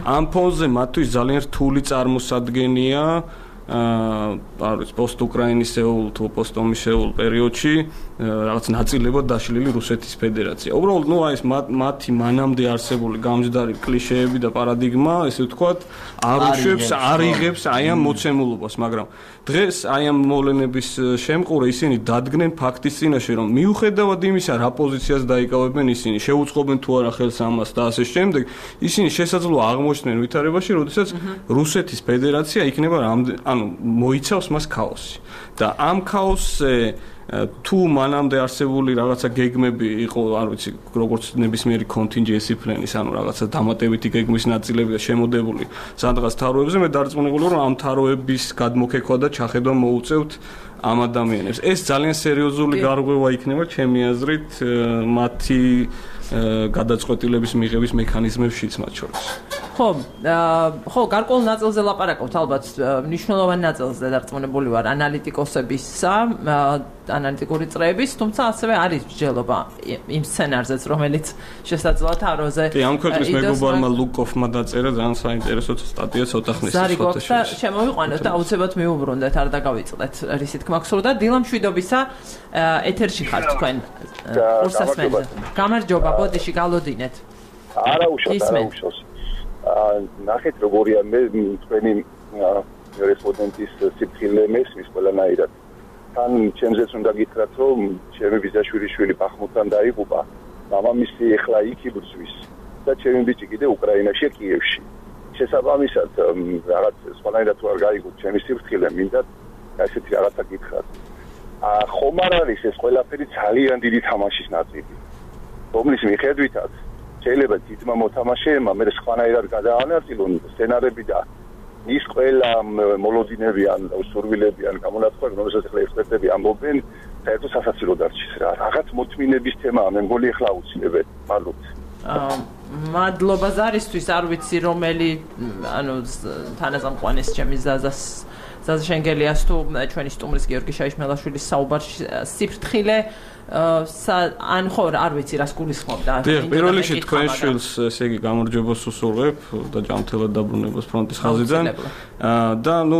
C: ამ ფონზე მათთვის ძალიან რთული წარმოსადგენია აა არის პოსტუკრაინისეულ თუ პოსტომისეულ პერიოდში რაღაც ნაწილებად დაშლილი რუსეთის ფედერაცია. უბრალოდ ნუ აი ეს მათი მანამდე არსებული გამჯდარი კლიშეები და პარადიგმა, ესე ვთქვათ, არ უშვებს, არ იღებს აი ამ მოცემულობას, მაგრამ დღეს აი ამ მოვლენების შემყურე ისინი დადგნენ ფაქტის წინაშე, რომ მიუხედავად იმისა, რა პოზიციას დაიკავებენ ისინი, შეუწყობენ თუ არა ხელს ამას და ასე შემდეგ, ისინი შესაძლოა აღმოჩნდნენ ვითარებაში, როდესაც რუსეთის ფედერაცია იქნება ანუ მოიცავს მას ქაოსი. და ამ ქაოსზე თუ მანამდე არსებული რაღაცა გეგმები იყო, არ ვიცი, როგორც ნებისმიერი კონტინჯენსი პლანის, ანუ რაღაცა დამატებითი გეგმის ნაწილები და შემოდებული სადღაც თაროებზე, მე დარწმუნებული ვარ, რომ ამ თაროების გადმოქეკვა და ჩახედვა მოუწევთ ამ ადამიანებს. ეს ძალიან სერიოზული გარღვევა იქნება, ჩემი აზრით, მათი გადაწყვეტილების მიღების მექანიზმებშიც მათ შორის.
A: ხო, ხო, გარკვეულ ნაწილზე ლაპარაკობთ, ალბათ მნიშვნელოვან ნაწილზე დარწმუნებული ვარ ანალიტიკოსებისა, ანალიტიკური წრეების, თუმცა ასევე არის მსჯელობა იმ სცენარზეც, რომელიც შესაძლოა თაროზე.
C: კი, ამ ქვეყნის მეგობარმა ლუკოფმა დაწერა ძალიან საინტერესო სტატია ცოტა ხნის
A: ფოტოში. და შემოვიყვანოთ და აუცილებლად მიუბრუნდეთ, არ დაგავიწყდეთ რისი თქმა გსურდა. დილა მშვიდობისა, ეთერში ხართ თქვენ. კურსასმენზე. გამარჯობა, ბოდიში გალოდინეთ.
D: არა უშავს, არა უშავს. ნახეთ როგორია მე თქვენი რესპონდენტის სიფხილე მესმის ყველანაირად. თან ჩემზეც უნდა გითხრათ, რომ ჩემი ბიძაშვილი ბახმუტთან დაიღუპა. მამამისი ეხლა იქ იბრძვის და ჩემი ბიჭი კიდე უკრაინაში, კიევში. შესაბამისად, რაღაც სხვანაირად თუ არ გაიგოთ ჩემი სიფხილე, მინდა ასეთი რაღაცა გითხრათ. ხომ არ არის ეს ყველაფერი ძალიან დიდი თამაშის ნაწილი, რომლის მიხედვითაც შეიძლება თითმა მოთამაშეებმა მე სხვანაირად გადაანაწილონ სცენარები და ის ყველა მოლოდინები ან სურვილები ან გამონათქვამი, რომელსაც ახლა ექსპერტები ამბობენ, საერთოდ სასაცილო დარჩის რა. რაღაც მოთმინების თემაა, მე მგონი ახლა აუცილებელი. მადლობთ.
A: აა მადლობა ზარისთვის, არ ვიცი რომელი, ანუ თანაზამყვანის ჩემი ზაზას ზაზა შენგელიას თუ ჩვენი სტუმრის გიორგი შაიშმელაშვილის საუბარში სიფრთხილე ან ხო არ ვიცი რას გულისხმობდა.
C: დიახ, პირველ რიგში თქვენ შვილს ესე იგი გამარჯვებას უსურვებ და ჯანმრთელად დაბრუნებას ფრონტის ხაზიდან. და ნუ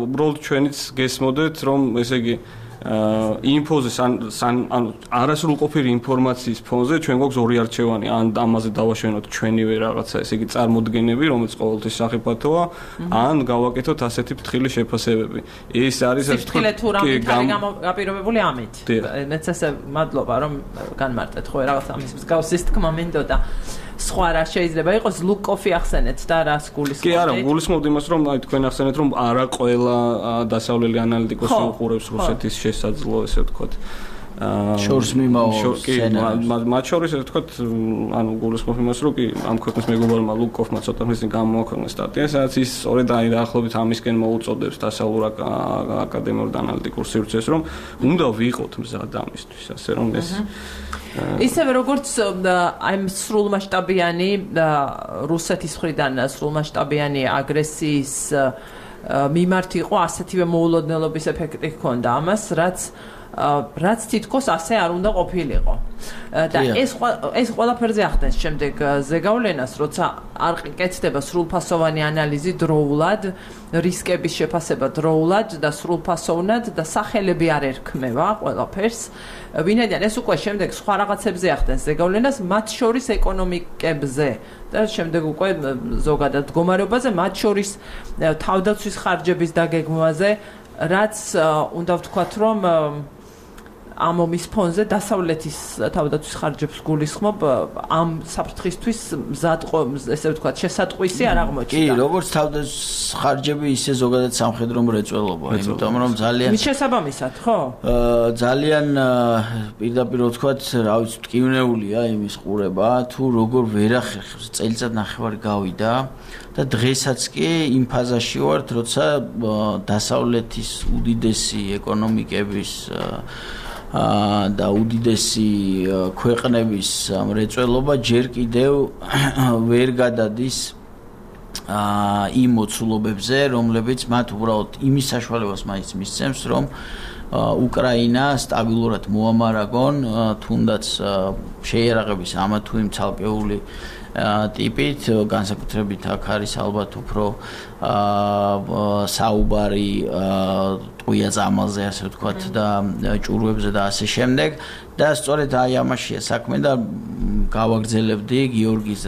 C: უბრალოდ ჩვენიც გესმოდეთ, რომ ესე იგი იმ ფონზე ანუ არასრულყოფილი ინფორმაციის ფონზე ჩვენ გვაქვს ორი არჩევანი, ან ამაზე დავაშვენოთ ჩვენივე რაღაცა, ესე იგი წარმოდგენები, რომელიც ყოველთვის სახიფათოა, ან გავაკეთოთ ასეთი ფრთხილი შეფასებები. ეს არის
A: ფრთხილე თუ რამით არის გაპირობებული ამით. მეც ესე მადლობა რომ განმარტეთ, ხო რაღაცა ამის მსგავსის თქმა მინდოდა. სხვა რა შეიძლება იყოს ლუკოფი ახსენეთ და რას გულისხმობთ?
C: კი არა, გულისხმობთ იმას, რომ აი თქვენ ახსენეთ, რომ არა ყველა დასავლელი ანალიტიკოსი უყურებს რუსეთის შესაძლო, ესე ვთქვათ,
B: შორს მიმავალ სცენარს.
C: მათ შორის რა თქვა, ანუ გულისხმობ იმას, რომ კი ამ ქვეყნის მეგობარმა ლუკოვმა ცოტა ხნის წინ გამოაქვეყნა სტატია, სადაც ის სწორედ აი დაახლოებით ამისკენ მოუწოდებს დასავლურ აკადემიურ და ანალიტიკურ სივრცეს, რომ უნდა ვიყოთ მზად ამისთვის, ასე რომ ეს
A: ისევე როგორც აი სრულმასშტაბიანი რუსეთის მხრიდან სრულმასშტაბიანი აგრესიის მიმართ იყო ასეთივე მოულოდნელობის ეფექტი ჰქონდა ამას, რაც რაც თითქოს ასე არ უნდა ყოფილიყო. და ეს ეს ყველაფერზე ახდენს შემდეგ ზეგავლენას, როცა არ კეთდება სრულფასოვანი ანალიზი დროულად, რისკების შეფასება დროულად და სრულფასოვნად და სახელები არ ერქმევა ყველაფერს. ვინაიდან ეს უკვე შემდეგ სხვა რაღაცებზე ახდენს ზეგავლენას, მათ შორის ეკონომიკებზე და შემდეგ უკვე ზოგადად მდგომარეობაზე, მათ შორის თავდაცვის ხარჯების დაგეგმვაზე, რაც უნდა ვთქვათ, რომ ამ ომის ფონზე დასავლეთის თავდაცვის ხარჯებს გულისხმობ ამ საფრთხისთვის მზადყო, ესე ვთქვათ, შესატყვისი არ აღმოჩნდა.
B: კი, როგორც თავდაცვის ხარჯები, ისე ზოგადად სამხედრო მრეწველობა, იმიტომ რომ ძალიან
A: მის შესაბამისად, ხო?
B: ძალიან პირდაპირ ვთქვათ, რა ვიცი, მტკივნეულია იმის ყურება, თუ როგორ ვერახერხებს წელიწად ნახევარი გავიდა და დღესაც კი იმ ფაზაში ვართ, როცა დასავლეთის უდიდესი ეკონომიკების და უდიდესი ქვეყნების მრეწველობა ჯერ კიდევ ვერ გადადის იმ მოცულობებზე, რომლებიც მათ უბრალოდ იმის საშუალებას მაინც მისცემს, რომ უკრაინა სტაბილურად მოამარაგონ, თუნდაც შეიარაღების ამა თუ იმ ცალკეული ტიპით, განსაკუთრებით აქ არის ალბათ უფრო საუბარი ტყუია წამალზე, ასე ვთქვათ, და ჭურვებზე და ასე შემდეგ. და სწორედ აი ამაშია საქმე და გავაგრძელებდი გიორგის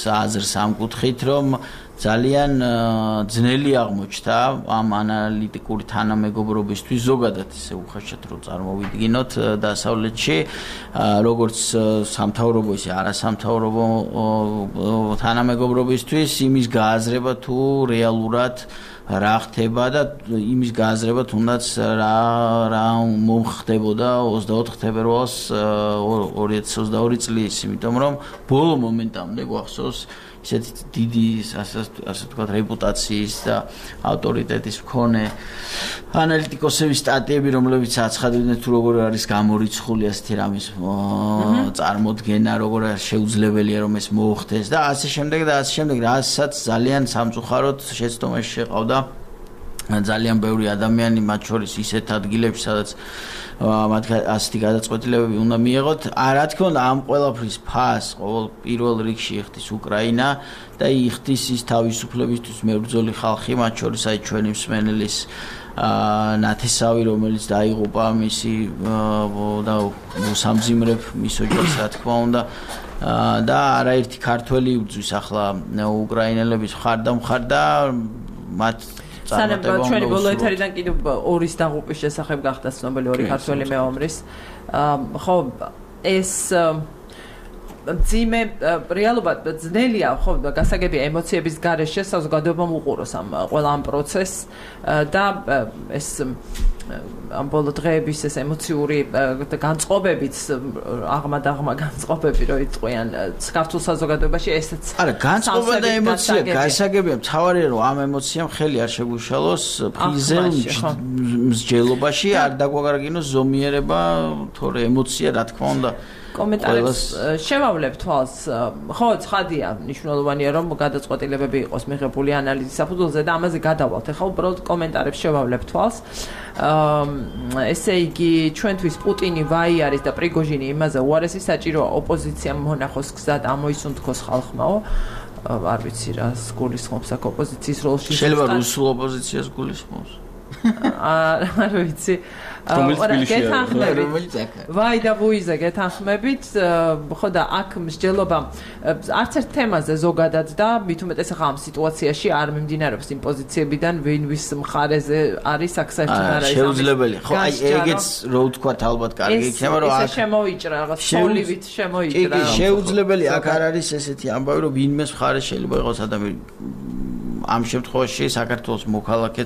B: აზრს ამ კუთხით, რომ ძალიან ძნელი აღმოჩნდა ამ ანალიტიკური თანამეგობრობისთვის ზოგადად ისე უხეშად რომ წარმოვიდგინოთ დასავლეთში, როგორც სამთავრობო ისე არასამთავრობო თანამეგობრობისთვის იმის გააზრება თუ რეალურად რა ხდება და იმის გააზრება თუნდაც რა რა მომხდებოდა ოცდაოთხ თებერვალს ორი ათი ოცდაორი წლის, იმიტომ რომ ბოლო მომენტამდე გვახსოვს ისეთი დიდი ასე ვთქვათ რეპუტაციის და ავტორიტეტის მქონე ანალიტიკოსების სტატიები, რომლებიც აცხადებდნენ თუ როგორ არის გამორიცხული ასეთი რამის წარმოდგენა, როგორ შეუძლებელია რომ ეს მოხდეს და ასე შემდეგ და ასე შემდეგ, რასაც ძალიან სამწუხაროდ შეცდომაში შეყავდა ძალიან ბევრი ადამიანი, მათ შორის ისეთ ადგილებში, სადაც მათ ასეთი გადაწყვეტილებები უნდა მიიღოთ. რა თქმა უნდა, ამ ყველაფრის ფას ყოველ პირველ რიგში იხდის უკრაინა და იხდის ის თავისუფლებისთვის მებრძოლი ხალხი, მათ შორის აი ჩვენი მსმენელის ნათესავი, რომელიც დაიღუპა მისი და მოსამძიმრებ მის ოჯახს, რა თქმა უნდა, და არაერთი ქართველი იბრძვის ახლა უკრაინელების მხარ და მხარ და მათ
A: სანამ ჩვენი ბოლო ეთერიდან კიდევ ორის დაღუპვის შესახებ გახდა ცნობილი ორი ქართველი მეომრის. ხო, ეს ძიმე რეალობა ძნელია, ხო, გასაგებია ემოციების გარეშე საზოგადოებამ უყუროს ამ ყველა ამ პროცესს და ეს ამ ბოლო დღეების ეს ემოციური განწყობებიც აღმად-აღმა განწყობები რო იყვიან საქართველოს საზოგადოებაში, ესეც
B: არა, განწყობა და ემოცია გასაგებია, მთავარია რომ ამ ემოციამ ხელი არ შეგუშალოს ფიზელ მსჯელობაში, არ დაგვაგარგინოს ზომიერება, თორე ემოცია რა თქმა უნდა
A: კომენტარებს შევავლებ თვალს. ხო, ცხადია, მნიშვნელოვანია რომ გადაწყვეტილებები იყოს მიღებული ანალიზის საფუძველზე და ამაზე გადავალთ. ეხლა უბრალოდ კომენტარებს შევავლებ თვალს. ესე იგი, ჩვენთვის პუტინი ვაი არის და პრიგოჟინი იმაზე უარესი საჭიროა ოპოზიციამ მონახოს გზად ამოისუნთქოს ხალხმაო. არ ვიცი რა გულისხმობს აქ ოპოზიციის როლში.
B: შეიძლება რუსულ ოპოზიციას გულისხმობს.
A: არ ვიცი. გეთანხმებით. ვაი და ვუიზე გეთანხმებით. ხო და აქ მსჯელობა არც ერთ თემაზე ზოგადად და მით უმეტეს ახლა ამ სიტუაციაში არ მიმდინარეობს იმ პოზიციებიდან, ვინ ვის მხარეზე არის აქ საერთოდ არ არის.
B: შეუძლებელი. ხო, აი ეგეც რო ვთქვათ ალბათ კარგი იქნება რომ
A: აქ შემოიჭრა რაღაც სოლივით შემოიჭრა.
B: კი, შეუძლებელი აქ არ არის ესეთი ამბავი რომ ვინმეს მხარე შეიძლება იყოს ადამიანი ამ შემთხვევაში საქართველოს მოქალაქე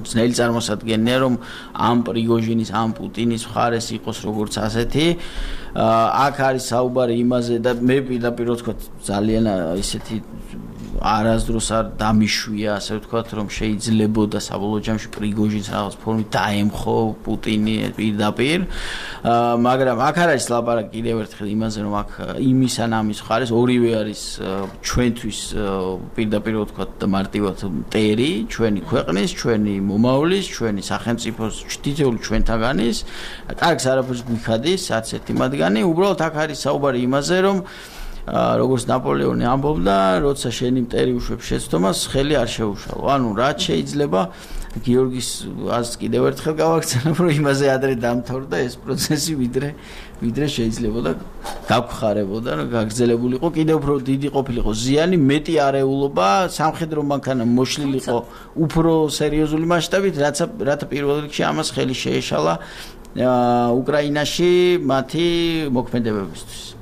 B: ძნელი წარმოსადგენია, რომ ამ პრიგოჟინის, ამ პუტინის მხარეს იყოს როგორც ასეთი. აქ არის საუბარი იმაზე და მე პირდაპირ ვთქვა ძალიან ისეთი არასდროს არ დამიშვია, ასე ვთქვათ, რომ შეიძლებოდა საბოლოო ჯამში პრიგოჟინს რაღაც ფორმით დაემხო პუტინი პირდაპირ. მაგრამ აქ არის ლაპარაკი კიდევ ერთხელ იმაზე, რომ აქ იმის ან ამის მხარეს ორივე არის ჩვენთვის პირდაპირ ვთქვათ მარტივად მტერი, ჩვენი ქვეყნის, ჩვენი მომავლის, ჩვენი სახელმწიფოს თითოეული ჩვენთაგანის. კარგს არაფერს გვიხადის, არც ერთი მათგანი. უბრალოდ აქ არის საუბარი იმაზე, რომ როგორც ნაპოლეონი ამბობდა, როცა შენი მტერი უშვებს შეცდომას, ხელი არ შეუშალო. ანუ რაც შეიძლება გიორგის აზრს კიდევ ერთხელ გავაქცევებ, რომ იმაზე ადრე დამთავრდა ეს პროცესი, ვიდრე ვიდრე შეიძლებოდა გაგხარებოდა, რომ გაგრძელებულიყო, კიდევ უფრო დიდი ყოფილიყო ზიანი, მეტი არეულობა, სამხედრო მანქანა მოშლილიყო უფრო სერიოზული მასშტაბით, რაც რათა პირველ რიგში ამას ხელი შეეშალა უკრაინაში მათი მოქმედებებისთვის.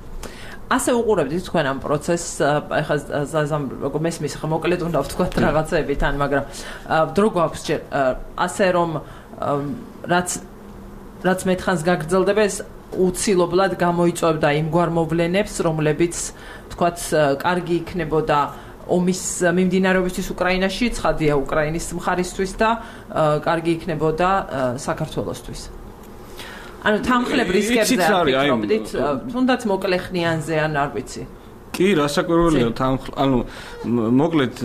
A: ასე უყურებთ თქვენ ამ პროცესს, ეხლა ზაზამ როგორ მესმის, ხა მოკლედ უნდა ვთქვათ რაღაცები თან, მაგრამ დრო გვაქვს ჯერ ასე რომ რაც რაც მეთხანს გაგრძელდება ეს უცილებლად გამოიწვევდა იმ გვარ მოვლენებს, რომლებიც ვთქვათ კარგი იქნებოდა ომის მიმდინარეობისთვის უკრაინაში, ცხადია უკრაინის მხარისთვის და კარგი იქნებოდა საქართველოსთვის. ანუ თანხლებ რისკებზე არ ვფიქრობდით, თუნდაც მოკლე ხნიანზე ან არ ვიცი.
C: კი, რასაკვირველია თანხლ, ანუ მოკლედ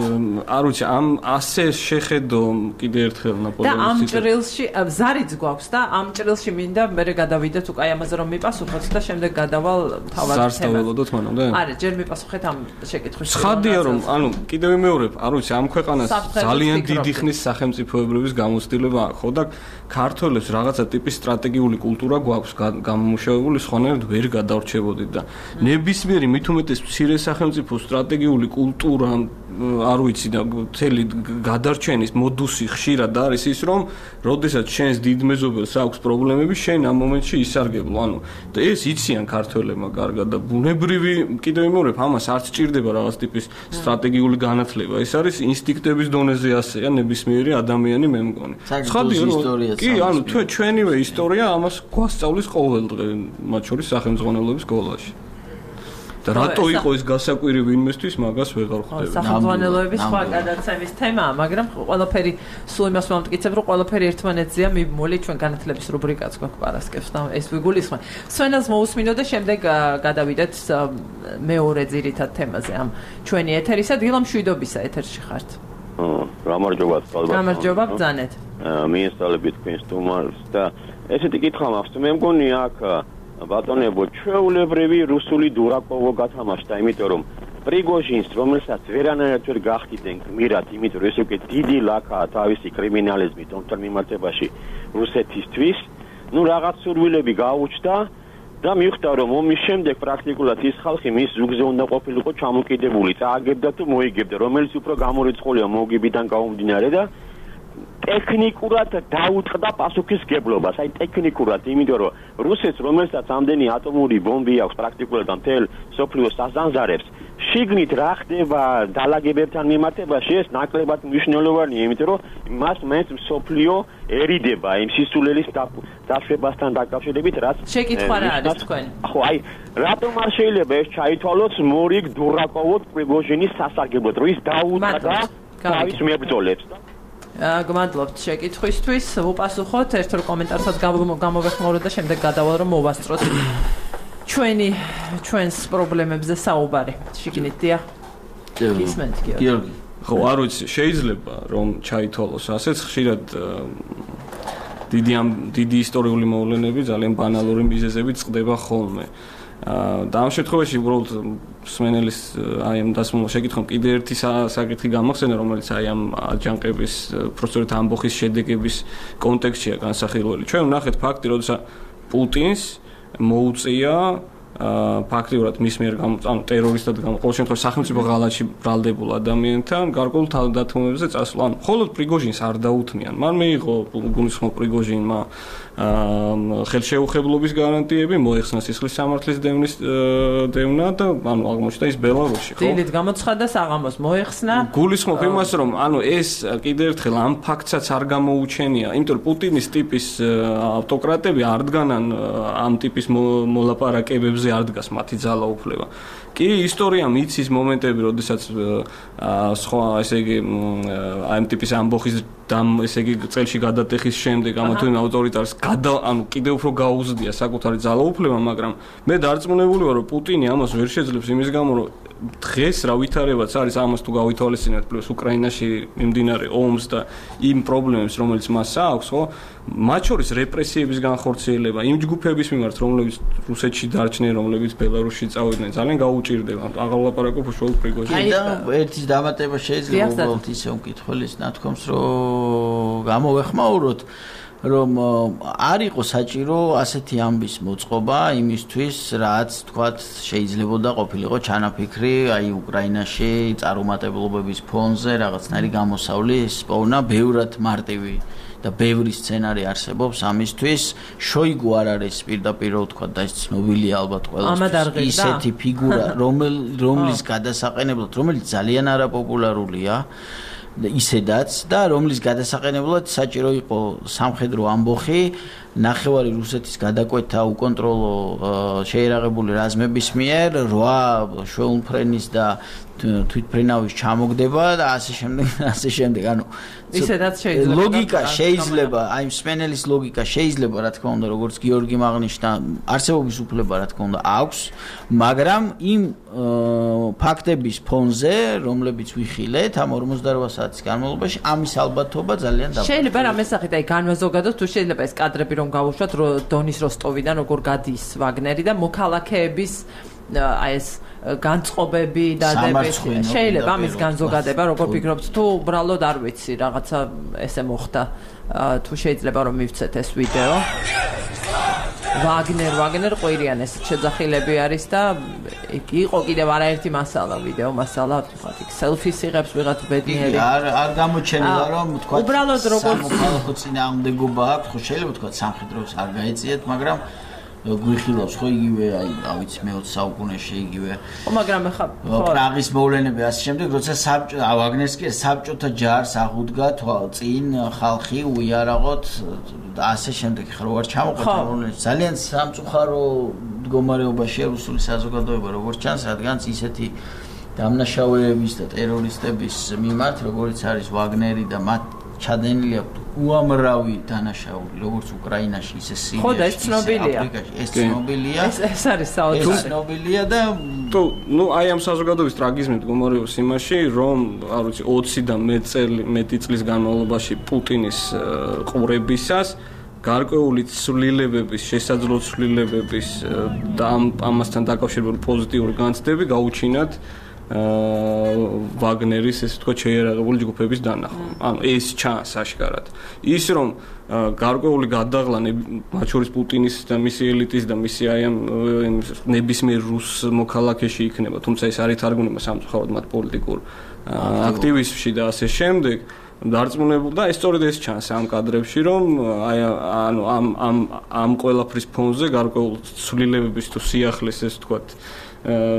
C: არ ვიცი, ამ ასე შეხედო კიდე ერთხელ ნაპოლეონის.
A: და ამ ჭრილში ზარიც გვაქვს და ამ ჭრილში მინდა მე გადავიდეთ უკვე ამაზე რომ მიპასუხოთ და შემდეგ გადავალ თავად თემას.
C: ზარს დაველოდოთ მანამდე?
A: არა, ჯერ მიპასუხეთ ამ შეკითხვას.
C: ცხადია რომ, ანუ კიდევ ვიმეორებ, არ ვიცი, ამ ქვეყანას ძალიან დიდი ხნის სახელმწიფოებრების გამოცდილება აქვს, ხო და ქართველებს რაღაცა ტიპის სტრატეგიული კულტურა გვაქვს გამომუშავებული, სხვანაირად ვერ გადავრჩებოდით და ნებისმიერი მით უმეტეს მცირე სახელმწიფო სტრატეგიული კულტურა არ ვიცი და მთელი გადარჩენის მოდუსი ხშირად არის ის, რომ როდესაც შენს დიდ მეზობელს აქვს პრობლემები, შენ ამ მომენტში ისარგებლო. ანუ და ეს იციან ქართველებმა კარგად და ბუნებრივი კიდევ ვიმეორებ, ამას არც ჭირდება რაღაც ტიპის სტრატეგიული განათლება. ეს არის ინსტინქტების დონეზე ასეა ნებისმიერი ადამიანი მე მგონი.
B: ცხადია ისტორია.
C: კი, ანუ თუ ჩვენივე ისტორია ამას გვასწავლის ყოველდღე, მათ შორის სახელმძღვანელოების სკოლაში. და რატო იყო ეს გასაკვირი ვინმესთვის მაგას ვეღარ ხვდები.
A: სახელმძღვანელოების სხვა გადაცემის თემაა, მაგრამ ყველაფერი სულ იმას მომტკიცებ, რომ ყველაფერი ერთმანეთზეა მიმმული, ჩვენ განათლების რუბრიკაც გვაქვს პარასკევს და ეს ვიგულისხმენ. სვენელს მოусმინო და შემდეგ გადავიდეთ მეორე ძირითად თემაზე ამ ჩვენი ეთერისა. დილა მშვიდობისა ეთერში ხართ.
E: გამარჯობა, ალბათ.
A: გამარჯობა, ბრძანეთ.
E: მიესალმებით თქვენს სტუმარს და ესეთი კითხვა მაქვს, მე მგონი აქ ბატონებო, ჩვეულებრივი რუსული დურაკოვო გათამაშდა, იმიტომ რომ პრიგოჟინს, რომელსაც ვერანაირად ვერ გახდიდნენ გმირად, იმიტომ რომ ეს უკვე დიდი ლაქაა თავისი კრიმინალიზმით ომთან მიმართებაში რუსეთისთვის, ну რაღაც სურვილები გაუჩნდა და მიხვდა რომ ომის შემდეგ პრაქტიკულად ის ხალხი მის ზუგზე უნდა ყოფილიყო ჩამოკიდებული, წააგებდა თუ მოიგებდა, რომელიც უფრო გამორიცხულია მოგებიდან გამომდინარე და ტექნიკურად დაუწყდა პასუხისგებლობას, აი ტექნიკურად, იმიტომ რომ რუსეთს, რომელსაც ამდენი ატომური ბომბი აქვს პრაქტიკულად მთელ სოფლიოს საზანზარებს, შიგნით რა ხდება დალაგებებთან მიმართებაში, ეს ნაკლებად მნიშვნელოვანია, იმიტომ რომ მას მაინც სოფლიო ერიდება იმ სისულელის დაშვებასთან დაკავშირებით, რაც
A: შეკითხვა რა არის თქვენ?
E: ხო, აი, რატომ არ შეიძლება ეს ჩაითვალოს მორიგ დურაკოვოთ პრიგოჟინის სასარგებლოდ, რომ ის დაუწყდა თავის მებრძოლებს და
A: გმადლობთ შეკითხვისთვის. ვუპასუხოთ ერთ-ერთ კომენტარსაც გამოვეხმაუროთ და შემდეგ გადავალ რომ მოვასწროთ ჩვენი ჩვენს პრობლემებზე საუბარი. შიგნით დიახ. ისმენთ
B: გიორგი.
C: ხო, არ ვიცი, შეიძლება რომ ჩაითვალოს ასეც ხშირად დიდი ამ დიდი ისტორიული მოვლენები ძალიან ბანალური მიზეზებით წყდება ხოლმე. და ამ შემთხვევაში უბრალოდ სმენელის აი ამ დასმულ შეკითხვამ კიდე ერთი საკითხი გამახსენა, რომელიც აი ამ აჯანყების პროცესით ამბოხის შედეგების კონტექსტშია განსახილველი. ჩვენ ვნახეთ ფაქტი, როდესაც პუტინს მოუწია ფაქტიურად მის მიერ ანუ ტერორისტად გამო ყოველ შემთხვევაში სახელმწიფო ღალატში ბრალდებულ ადამიანთან გარკვეულ თავდადათმობებზე წასვლა. ანუ მხოლოდ პრიგოჟინს არ დაუთმიან. მან მიიღო გულისხმობ პრიგოჟინმა ხელშეუხებლობის გარანტიები, მოეხსნა სისხლის სამართლის დევნის დევნა და ანუ აღმოჩნდა ის ბელარუსში, ხო?
A: დილით გამოცხადა საღამოს მოეხსნა.
C: გულისხმობ იმას, რომ ანუ ეს კიდევ ერთხელ ამ ფაქტსაც არ გამოუჩენია, იმიტომ რომ პუტინის ტიპის ავტოკრატები არ დგანან ამ ტიპის მოლაპარაკებებზე არ დგას მათი ძალაუფლება. კი, ისტორია მიცის მომენტები, როდესაც სხვა, ესე იგი, ამ ტიპის ამბოხის დამ, ესე იგი, წელში გადატეხის შემდეგ ამა თუ იმ ავტორიტარს გადა, ანუ კიდევ უფრო გაუზდია საკუთარი ძალაუფლება, მაგრამ მე დარწმუნებული ვარ, რომ პუტინი ამას ვერ შეძლებს იმის გამო, რომ დღეს რა ვითარებაც არის ამას თუ გავითვალისწინებთ პლუს უკრაინაში მიმდინარე ომს და იმ პრობლემებს, რომელიც მას აქვს, ხო? მათ შორის რეპრესიების განხორციელება, იმ ჯგუფების მიმართ, რომლებიც რუსეთში დარჩნენ, რომლებიც ბელარუსში წავიდნენ, ძალიან გაუჭირდება. აღარ ვლაპარაკობ უშუალოდ პრიგოჟინს.
B: და ერთის დამატება შეიძლება უბრალოდ ისე მკითხველის ნათქვამს, რომ გამოვეხმაუროთ, რომ არ იყო საჭირო ასეთი ამბის მოწყობა იმისთვის, რაც თქვათ შეიძლებოდა ყოფილიყო ჩანაფიქრი, აი უკრაინაში წარუმატებლობების ფონზე რაღაცნაირი გამოსავლის პოვნა ბევრად მარტივი და ბევრი სცენარი არსებობს ამისთვის. შოიგუ არ არის პირდაპირ ვთქვათ და ის ცნობილია ალბათ ყველასთვის ისეთი ფიგურა, რომლის გადასაყენებლად, რომელიც ძალიან არაპოპულარულია ისედაც და რომლის გადასაყენებლად საჭირო იყო სამხედრო ამბოხი, ნახევარი რუსეთის გადაკვეთა უკონტროლო შეერაღებული რაზმების მიერ, რვა შვეულმფრენის და თვითმფრინავის ჩამოგდება და ასე შემდეგ, ასე შემდეგ. ანუ
A: ისედაც შეიძლება
B: ლოგიკა შეიძლება, აი სპენელის ლოგიკა შეიძლება, რა თქმა უნდა, როგორც გიორგი მაღნიშნა, არსებობის უფლება, რა თქმა უნდა, აქვს, მაგრამ იმ ფაქტების ფონზე, რომლებიც ვიხილეთ ამ ორმოცდარვა საათის განმავლობაში, ამის ალბათობა ძალიან დაბალია.
A: შეიძლება რამე სახით, აი განმაზოგადოთ, თუ შეიძლება ეს კადრები რომ გავუშვათ, რომ დონის როსტოვიდან როგორ გადის ვაგნერი და მოქალაქეების აი ეს განწყობები და შეიძლება ამის განზოგადება, როგორ ფიქრობთ, თუ უბრალოდ არ ვიცი, რაღაცა ესე მოხდა, თუ შეიძლება რომ მივცეთ ეს ვიდეო. ვაგნერ, ვაგნერ ყვირიან ეს შეძახილები არის და იყო კიდევ არაერთი მასალა, ვიდეო მასალა, თქვათ, იქ სელფის იღებს ვიღაც ბედნიერი.
B: არ არ გამოჩენილა რომ თქვათ,
A: უბრალოდ როგორც
B: სამოქალაქო წინააღმდეგობა აქვს, ხო შეიძლება თქვათ სამხედროს არ გაეწიეთ, მაგრამ გვიხილავს ხო იგივე, აი, რა ვიცი, მეოცე საუკუნეში იგივე.
A: ხო, მაგრამ ახლა
B: პრაღის მოვლენები ასე შემდეგ, როცა საბჭო, ვაგნერს კი საბჭოთა ჯარს აღუდგა წინ ხალხი უიარაღოთ და ასე შემდეგ, ხო არ ჩამოყვეთ მოვლენებს. ძალიან სამწუხარო მდგომარეობაშია რუსული საზოგადოება, როგორც ჩანს, რადგანაც ისეთი დამნაშავეების და ტერორისტების მიმართ, როგორც არის ვაგნერი და მათ ჩადენილი აქვს უამრავი დანაშაული, როგორც უკრაინაში, ისე სირიაში, აფრიკაში, ეს ცნობილია.
A: ეს არის საოცარი.
B: ეს ცნობილია და
C: თუ ნუ აი ამ საზოგადოების ტრაგიზმი მდგომარეობს იმაში, რომ არ ვიცი ოცი და მეტ წელი, მეტი წლის განმავლობაში პუტინის ყურებისას გარკვეული ცვლილებების, შესაძლო ცვლილებების და ამასთან დაკავშირებული პოზიტიური განცდები გაუჩინათ ვაგნერის ესე თქვა შეერაღებული ჯგუფების დანახვა. ანუ ეს ჩანს აშკარად. ის რომ გარკვეული გადაღლა მათ შორის პუტინის და მისი ელიტის და მისი აი ამ ნებისმიერ რუს მოქალაქეში იქნება, თუმცა ეს არ ითარგმნება სამწუხაროდ მათ პოლიტიკურ აქტივიზმში და ასე შემდეგ. დარწმუნებული და ეს სწორედ ეს ჩანს ამ კადრებში, რომ აი ანუ ამ ამ ამ ყველაფრის ფონზე გარკვეულ ცვლილებების თუ სიახლეს ეს თქვა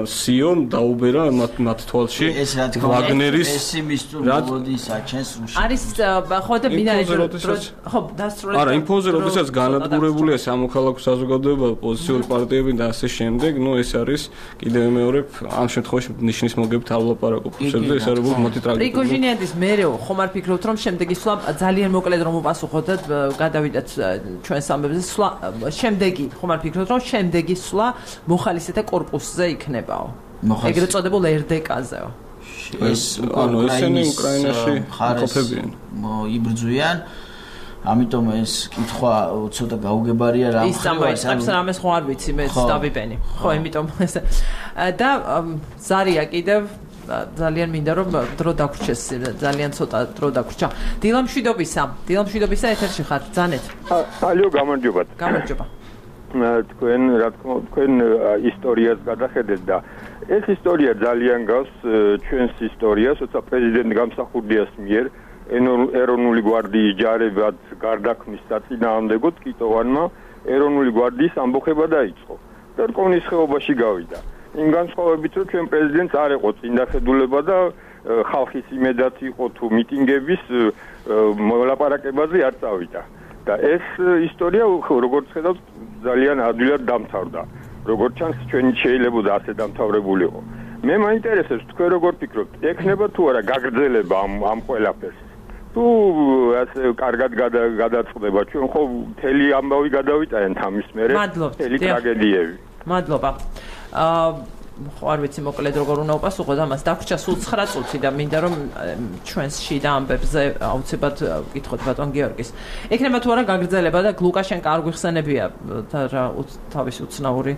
C: სიონ დაუბერა მათ მათ თვალში ვაგნერის
B: პესიმისტური საჩენს რუსი
A: არის ხო და მინარი ხო დასრულეთ
C: არა იმ ფონზე როდესაც განადგურებულია სამოქალაქო საზოგადოება პოზიციური პარტიები და ასე შემდეგ ნუ ეს არის კიდევ მეორე ამ შემთხვევაში ნიშნის მოგებით ავლაპარაკობ ხსებზე ეს არის მათი ტრაგედია
A: პრიგოჟინიადის მერეო ხომ არ ფიქრობთ რომ შემდეგ ისვლა ძალიან მოკლედ რომ უპასუხოთ და გადავიდეთ ჩვენს ამბებზე სვლა შემდეგი ხომ არ ფიქრობთ რომ შემდეგი სვლა მოხალისეთა კორპუსზე იქნებაო. ეგრეთ წოდებულ er de kazeo.
B: ეს
C: ანუ ესენი უკრაინაში ყოფებიან.
B: იბრძვიან. ამიტომ ეს კითხვა ცოტა გაუგებარია რა
A: ხდება. ის ამას რამეს ხო არ ვიცი მე დავიბენი. ხო, იმიტომ ეს და ზარია კიდევ ძალიან მინდა რომ დრო დაგვრჩეს ძალიან ცოტა დრო დაგვრჩა. დილამშვიდობისა, დილამშვიდობისა ეთერში ხარ, ძანეთ.
F: ალო, გამარჯობათ.
A: გამარჯობა.
F: თქვენ რა თქმა უნდა თქვენ ისტორიას გადახედეთ და ეს ისტორია ძალიან გავს ჩვენს ისტორიას, როცა პრეზიდენტ გამსახურდიას მიერ ეროვნული გვარდიის ჯარებად გარდაქმნის საწინააღმდეგოდ კიტოვანმა ეროვნული გვარდიის ამბოხება დაიწყო და რკონის ხეობაში გავიდა. იმ განსხვავებით რომ ჩვენ პრეზიდენტს არ ეყო წინდახედულება და ხალხის იმედად იყო თუ მიტინგების მოლაპარაკებაზე არ წავიდა. და ეს ისტორია როგორც ხედავთ ძალიან ადვილად დამთავრდა. როგორც ჩანს ჩვენ შეიძლება ასე დამთავრებულიყო. მე მაინტერესებს თქვენ როგორ ფიქრობთ, ექნება თუ არა გაგრძელება ამ ამ ყველაფერს? თუ ასე კარგად გადაწყდება, ჩვენ ხო მთელი ამბავი გადავიტანეთ ამის მერე მთელი ტრაგედიები.
A: მადლობა. აა ხო არ ვიცი მოკლედ როგორ უნდა უპასუხოთ ამას. დაგვრჩა სულ ცხრა წუთი და მინდა რომ ჩვენს შიდა ამბებზე აუცილებლად ვკითხოთ ბატონ გიორგის. ექნება თუ არა გაგრძელება და ლუკაშენკო არ გვიხსენებია რა თავისი უცნაური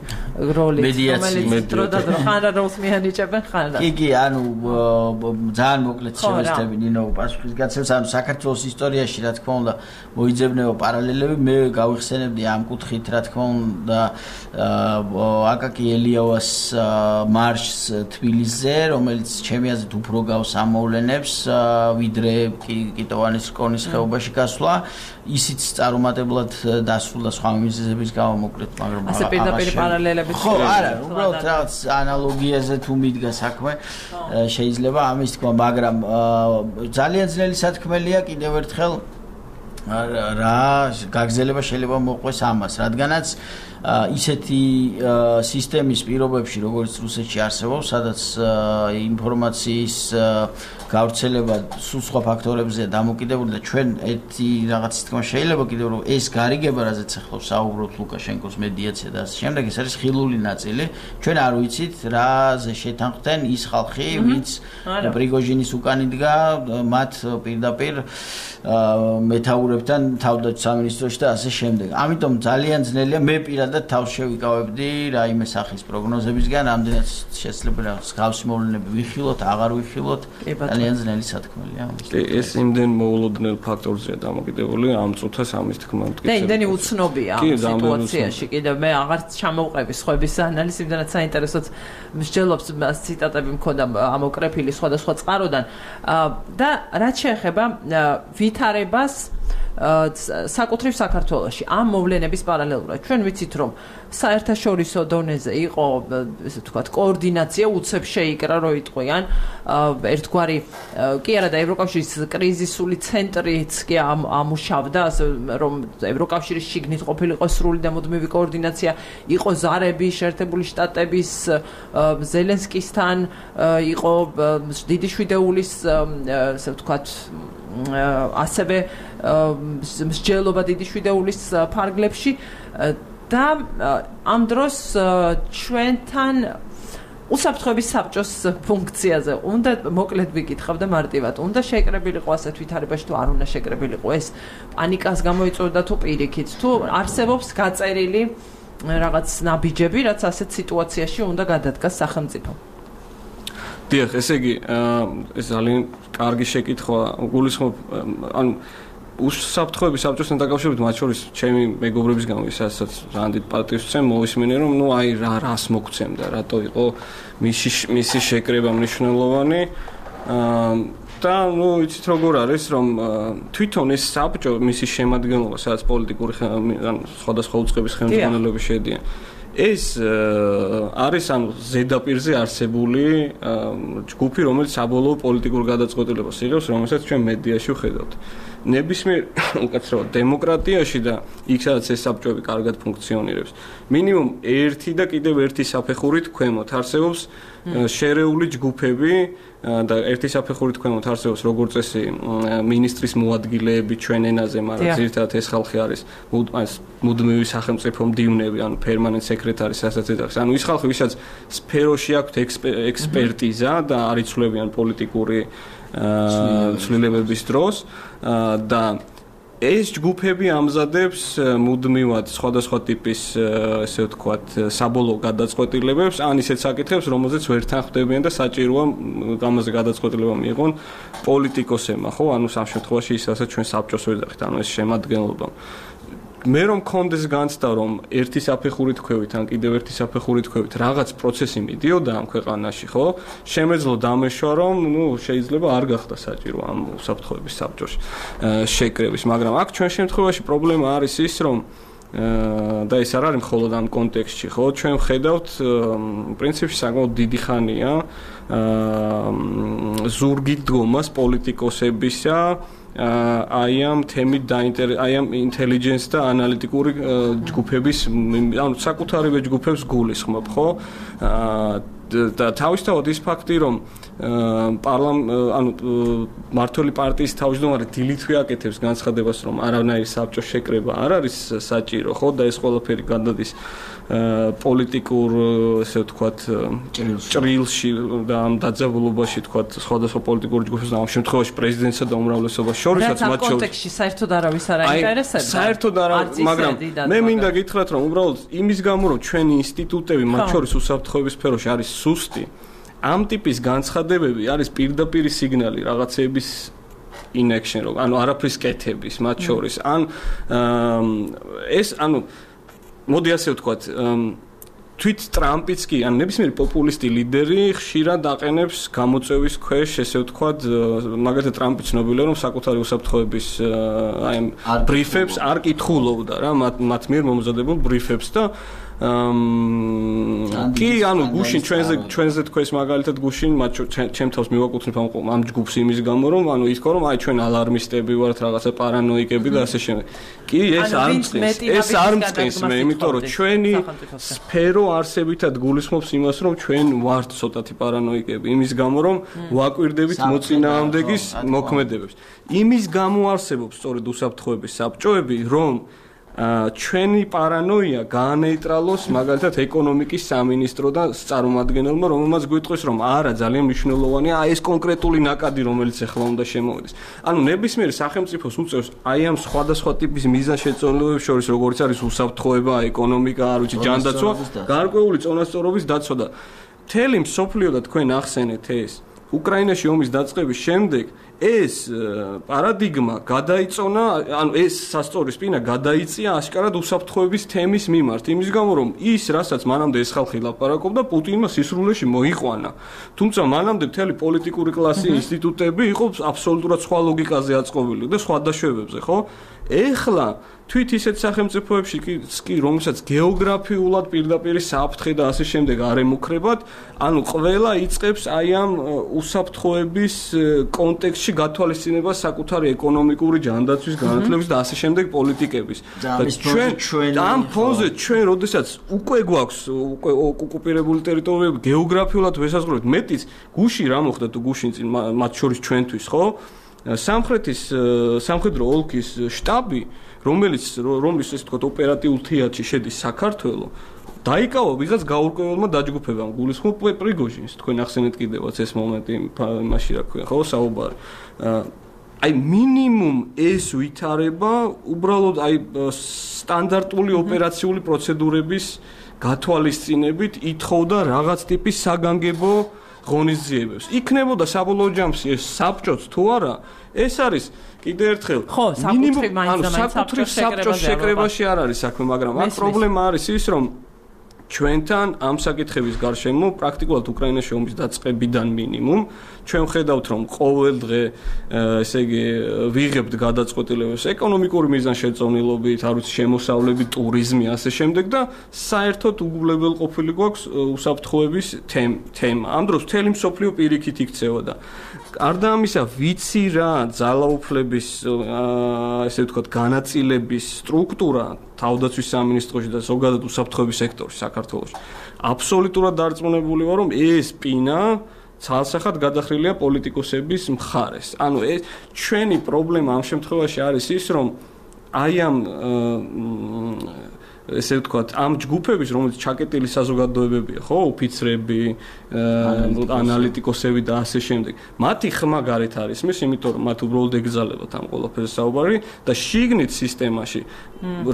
A: როლი, რომელიც დრო და დრო ხან რა როლს მიანიჭებენ ხან რა.
B: კი კი, ანუ ძალიან მოკლედ შევესწრები ნინო პასუხის გაცემს, ანუ საქართველოს ისტორიაში რა თქმა უნდა მოიძებნება პარალელები, მე გავიხსენებდი ამ კუთხით რა თქმა უნდა აკაკი ელიავას მარშს თბილისზე, რომელიც ჩემი აზრით უფრო გავს ამ მოვლენებს, ვიდრე კიტოვანის რკონის ხეობაში გასვლა, ისიც წარუმატებლად დასრულდა სხვა მიზეზების გამო მოკლედ, მაგრამ
A: ასე პირდაპირ პარალელები
B: ხო, არა, უბრალოდ რაღაც ანალოგიაზე თუ მიდგა საქმე, შეიძლება ამის თქვა, მაგრამ ძალიან ძნელი სათქმელია კიდევ ერთხელ რა გაგრძელება შეიძლება მოყვეს ამას, რადგანაც ისეთი სისტემის პირობებში, როგორც რუსეთში არსებობს, სადაც ინფორმაციის გავრცელება სულ სხვა ფაქტორებზეა დამოკიდებული და ჩვენ ერთი რაღაც თქმა შეიძლება კიდევ რომ ეს გარიგება, რაზეც ახლა საუბრობთ ლუკაშენკოს მედიაცია და ასე შემდეგ, ეს არის ხილული ნაწილი. ჩვენ არ ვიცით რაზე შეთანხმდნენ ის ხალხი, ვინც პრიგოჟინის უკან იდგა, მათ პირდაპირ მეთაურებთან თავდაცვის სამინისტროში და ასე შემდეგ. ამიტომ ძალიან ძნელია მე პირადად თავს შევიკავებდი რაიმე სახის პროგნოზებისგან, რამდენად შესაძლებელია გავსი მოვლენები ვიხილოთ, აღარ ვიხილოთ. ძალიან ძნელი სათქმელია.
C: ეს იმდენ მოულოდნელ ფაქტორზეა დამოკიდებული, ამ წუთას ამის თქმა მტკიცება.
A: და იმდენი უცნობია ამ სიტუაციაში. კიდევ მე აღარ ჩამოვყევი სხვების ანალიზს, იმდენად საინტერესოდ მსჯელობს ციტატები მქონდა ამოკრეფილი სხვადასხვა წყაროდან და რაც შეეხება ვითარებას საკუთრივ საქართველოში ამ მოვლენების პარალელურად ჩვენ ვიცით რომ საერთაშორისო დონეზე იყო ესე ვთქვათ კოორდინაცია უცებ შეიკრა რომ იტყვიან ერთგვარი კი არა და ევროკავშირის კრიზისული ცენტრიც კი ამუშავდა ასე რომ ევროკავშირის შიგნით ყოფილიყო სრული და მუდმივი კოორდინაცია იყო ზარები შეერთებული შტატების ზელენსკისთან იყო დიდი შვიდეულის ასე ვთქვათ ასევე მსჯელობა დიდი შვიდეულის ფარგლებში და ამ დროს ჩვენთან უსაფრთხოების საბჭოს ფუნქციაზე უნდა მოკლედ ვიკითხავ და მარტივად უნდა შეკრებილიყო ასეთ ვითარებაში თუ არ უნდა შეკრებილიყო ეს პანიკას გამოიწვევდა თუ პირიქით თუ არსებობს გაწერილი რაღაც ნაბიჯები რაც ასეთ სიტუაციაში უნდა გადადგას სახელმწიფო
C: დიახ, ესე იგი, ეს ძალიან კარგი შეკითხვა, გულისხმობ, ანუ უსაფრთხოების საბჭოსთან დაკავშირებით, მათ შორის ჩემი მეგობრების გამო, ისაც რანდით პარტიის წემ მოვისმენე, რომ ნუ აი რა რას მოგცემდა, რატო იყო მისი მისი შეკრება მნიშვნელოვანი. და ნუ იცით როგორ არის, რომ თვითონ ეს საბჭო, მისი შემადგენლობა, სადაც პოლიტიკური ან სხვადასხვა უწყების ხელმძღვანელები შედიან. ეს არის ანუ ზედაპირზე არსებული ჯგუფი, რომელიც საბოლოო პოლიტიკურ გადაწყვეტილებას იღებს, რომელსაც ჩვენ მედიაში ვხედავთ. ნებისმიერ უკაცრავად დემოკრატიაში და იქ სადაც ეს საბჭოები კარგად ფუნქციონირებს, მინიმუმ ერთი და კიდევ ერთი საფეხურით ქვემოთ არსებობს შერეული ჯგუფები და ერთი საფეხურით ქვემოთ არსებობს როგორც წესი მინისტრის მოადგილეები ჩვენ ენაზე, მაგრამ ძირითადად ეს ხალხი არის მუდმივი სახელმწიფო მდივნები, ანუ permanent secretary, რასაც ეძახის. ანუ ის ხალხი, ვისაც სფეროში აქვთ ექსპერტიზა და არ იცვლებიან პოლიტიკური ცვლილებების დროს და ეს ჯგუფები ამზადებს მუდმივად სხვადასხვა ტიპის ესე ვთქვათ საბოლოო გადაწყვეტილებებს, ან ისეთ საკითხებს, რომელზეც ვერ თანხმდებიან და საჭიროა ამაზე გადაწყვეტილება მიიღონ პოლიტიკოსებმა, ხო? ანუ სამ შემთხვევაში ის რასაც ჩვენ საბჭოს ვეძახით, ანუ ეს შემადგენლობა. მე რომ კონდეს განცდა რომ ერთი საფეხურით ქვევით ან კიდევ ერთი საფეხურით ქვევით რაღაც პროცესი მიდიოდა ამ ქვეყანაში, ხო? შემეძლო დამეშვა რომ, ну, შეიძლება არ გახდა საჭირო ამ უსაფრთხოების საბჭოში შეკრების, მაგრამ აქ ჩვენ შემთხვევაში პრობლემა არის ის, რომ და ეს არ არის მხოლოდ ამ კონტექსტში, ხო? ჩვენ ვხედავთ პრინციპში საკმაოდ დიდი ხანია ზურგით დგომას პოლიტიკოსებისა აი ამ თემით დაინტერ აი ამ ინტელიგენს და ანალიტიკური ჯგუფების ანუ საკუთარივე ჯგუფებს გულისხმობ, ხო? და თავისთავად ის ფაქტი, რომ პარლამ ანუ მართული პარტიის თავმჯდომარე დილითვე აკეთებს განცხადებას, რომ არანაირი საბჭოს შეკრება არ არის საჭირო, ხო? და ეს ყველაფერი გადადის პოლიტიკურ, ესე ვთქვათ, ჭრილში და ამ დაძაბულობაში, ვთქვათ, სხვადასხვა პოლიტიკური ჯგუფებს და ამ შემთხვევაში პრეზიდენტსა და უმრავლესობას შორისაც მათ შორის. კონტექსტში
A: საერთოდ არავის არ აინტერესებს.
C: საერთოდ არა, მაგრამ მე მინდა გითხრათ, რომ უბრალოდ იმის გამო, რომ ჩვენი ინსტიტუტები მათ შორის უსაფრთხოების სფეროში არის სუსტი, ამ ტიპის განცხადებები არის პირდაპირი სიგნალი რაღაცეების inaction, რომ ანუ არაფრის კეთების მათ შორის. ან ეს ანუ მოდი ასე ვთქვათ, თვით ტრამპიც კი, ან ნებისმიერი პოპულისტი ლიდერი ხშირად აყენებს გამოწვევის ქვეშ, ესე ვთქვათ, მაგალითად ტრამპი ცნობილია, რომ საკუთარი უსაფრთხოების აი ამ ბრიფებს არ კითხულობდა რა, მათ მათ მიერ მომზადებულ ბრიფებს და კი, ანუ გუშინ ჩვენზე ჩვენზე თქვენს მაგალითად გუშინ მათ ჩემ თავს მივაკუთვნებ ამ ჯგუფს იმის გამო, რომ ანუ ითქვა, რომ აი ჩვენ ალარმისტები ვართ, რაღაცა პარანოიკები და ასე შემდეგ. კი, ეს არ მწყის, ეს არ მწყის მე, იმიტომ რომ ჩვენი სფერო არსებითად გულისხმობს იმას, რომ ჩვენ ვართ ცოტათი პარანოიკები, იმის გამო, რომ ვაკვირდებით მოწინააღმდეგის მოქმედებებს. იმის გამო არსებობს სწორედ უსაფრთხოების საბჭოები, რომ ჩვენი პარანოია გაანეიტრალოს მაგალითად ეკონომიკის სამინისტროდან წარმომადგენელმა, რომელმაც გვიტყვის, რომ არა, ძალიან მნიშვნელოვანია აი ეს კონკრეტული ნაკადი, რომელიც ახლა უნდა შემოვიდეს. ანუ ნებისმიერ სახელმწიფოს უწევს აი ამ სხვადასხვა ტიპის მიზანშეწონილობებს შორის, როგორც არის უსაფრთხოება, ეკონომიკა, არ ვიცი, ჯანდაცვა, გარკვეული წონასწორობის დაცვა და მთელი მსოფლიო და თქვენ ახსენეთ ეს უკრაინაში ომის დაწყების შემდეგ ეს პარადიგმა გადაიწონა, ანუ ეს სასწორის პირა გადაიწია აშკარად უსაფრთხოების თემის მიმართ, იმის გამო რომ ის, რასაც მანამდე ეს ხალხი ლაპარაკობდა, პუტინმა სისრულეში მოიყვანა. თუმცა მანამდე მთელი პოლიტიკური კლასი, ინსტიტუტები იყო აბსოლუტურად სხვა ლოგიკაზე აწყობილი და სხვა დაშვებებზე, ხო? ეხლა თვით ისეთ სახელმწიფოებში კი, რომელსაც გეოგრაფიულად პირდაპირ საფრთხე და ასე შემდეგ არ ემუქრებათ, ანუ ყველა იწყებს აი ამ უსაფრთხოების კონტექსტში გათვალისწინებას საკუთარი ეკონომიკური ჯანდაცვის განათლების და ასე შემდეგ პოლიტიკების.
B: და ჩვენ
C: ამ ფონზე ჩვენ როდესაც უკვე გვაქვს უკვე ოკუპირებული ტერიტორიები გეოგრაფიულად ვესაზღვრებთ, მეტიც გუშინ რა მოხდა თუ გუშინ წინ მათ შორის ჩვენთვის, ხო? სამხრეთის სამხედრო ოლქის შტაბი, რომელიც რომლის ესე ვთქვათ ოპერატიულ თეატრში შედის საქართველო, დაიკავა ვიღაც გაურკვეველმა დაჯგუფებამ, გულისხმობ პრიგოჟინს, თქვენ ახსენეთ კიდევაც ეს მომენტი მაშინ რა ქვია, ხო, საუბარი. აი მინიმუმ ეს ვითარება უბრალოდ აი სტანდარტული ოპერაციული პროცედურების გათვალისწინებით ითხოვდა რაღაც ტიპის საგანგებო ღონისძიებებს. იქნებოდა საბოლოო ჯამში ეს საბჭოც თუ არა, ეს არის კიდე ერთხელ
A: მინიმუმ ანუ
C: საკუთრივ საბჭოს შეკრებაში არ არის საქმე, მაგრამ აქ პრობლემა არის ის, რომ ჩვენთან ამ საკითხების გარშემო პრაქტიკულად უკრაინაში ომის დაწყებიდან მინიმუმ ჩვენ ვხედავთ, რომ ყოველ დღე ესე იგი ვიღებთ გადაწყვეტილებებს ეკონომიკური მიზანშეწონილობით, არ ვიცი, შემოსავლები, ტურიზმი, ასე შემდეგ და საერთოდ უგულებელყოფილი გვაქვს უსაფრთხოების თემა. ამ დროს მთელი მსოფლიო პირიქით იქცევა და არდა ამისა ვიცი რა ძალაუფლების ესე ვთქვათ განაწილების სტრუქტურა თავდაცვის სამინისტროში და ზოგადად უსაფრთხოების სექტორში საქართველოში აბსოლუტურად დარწმუნებული ვარ, რომ ეს პინა ცალსახად გადახრილია პოლიტიკოსების მხარეს. ანუ ეს ჩვენი პრობლემა ამ შემთხვევაში არის ის, რომ აი ამ ესე ვთქვათ, ამ ჯგუფების, რომელიც ჩაკეტილი საზოგადოებებია, ხო, ოფიცრები, ანალიტიკოსები და ასე შემდეგ. მათი ხმა გარეთ არის მის, იმიტომ რომ მათ უბრალოდ ეგზალებათ ამ ყველაფერს საუბარი და შიგნით სისტემაში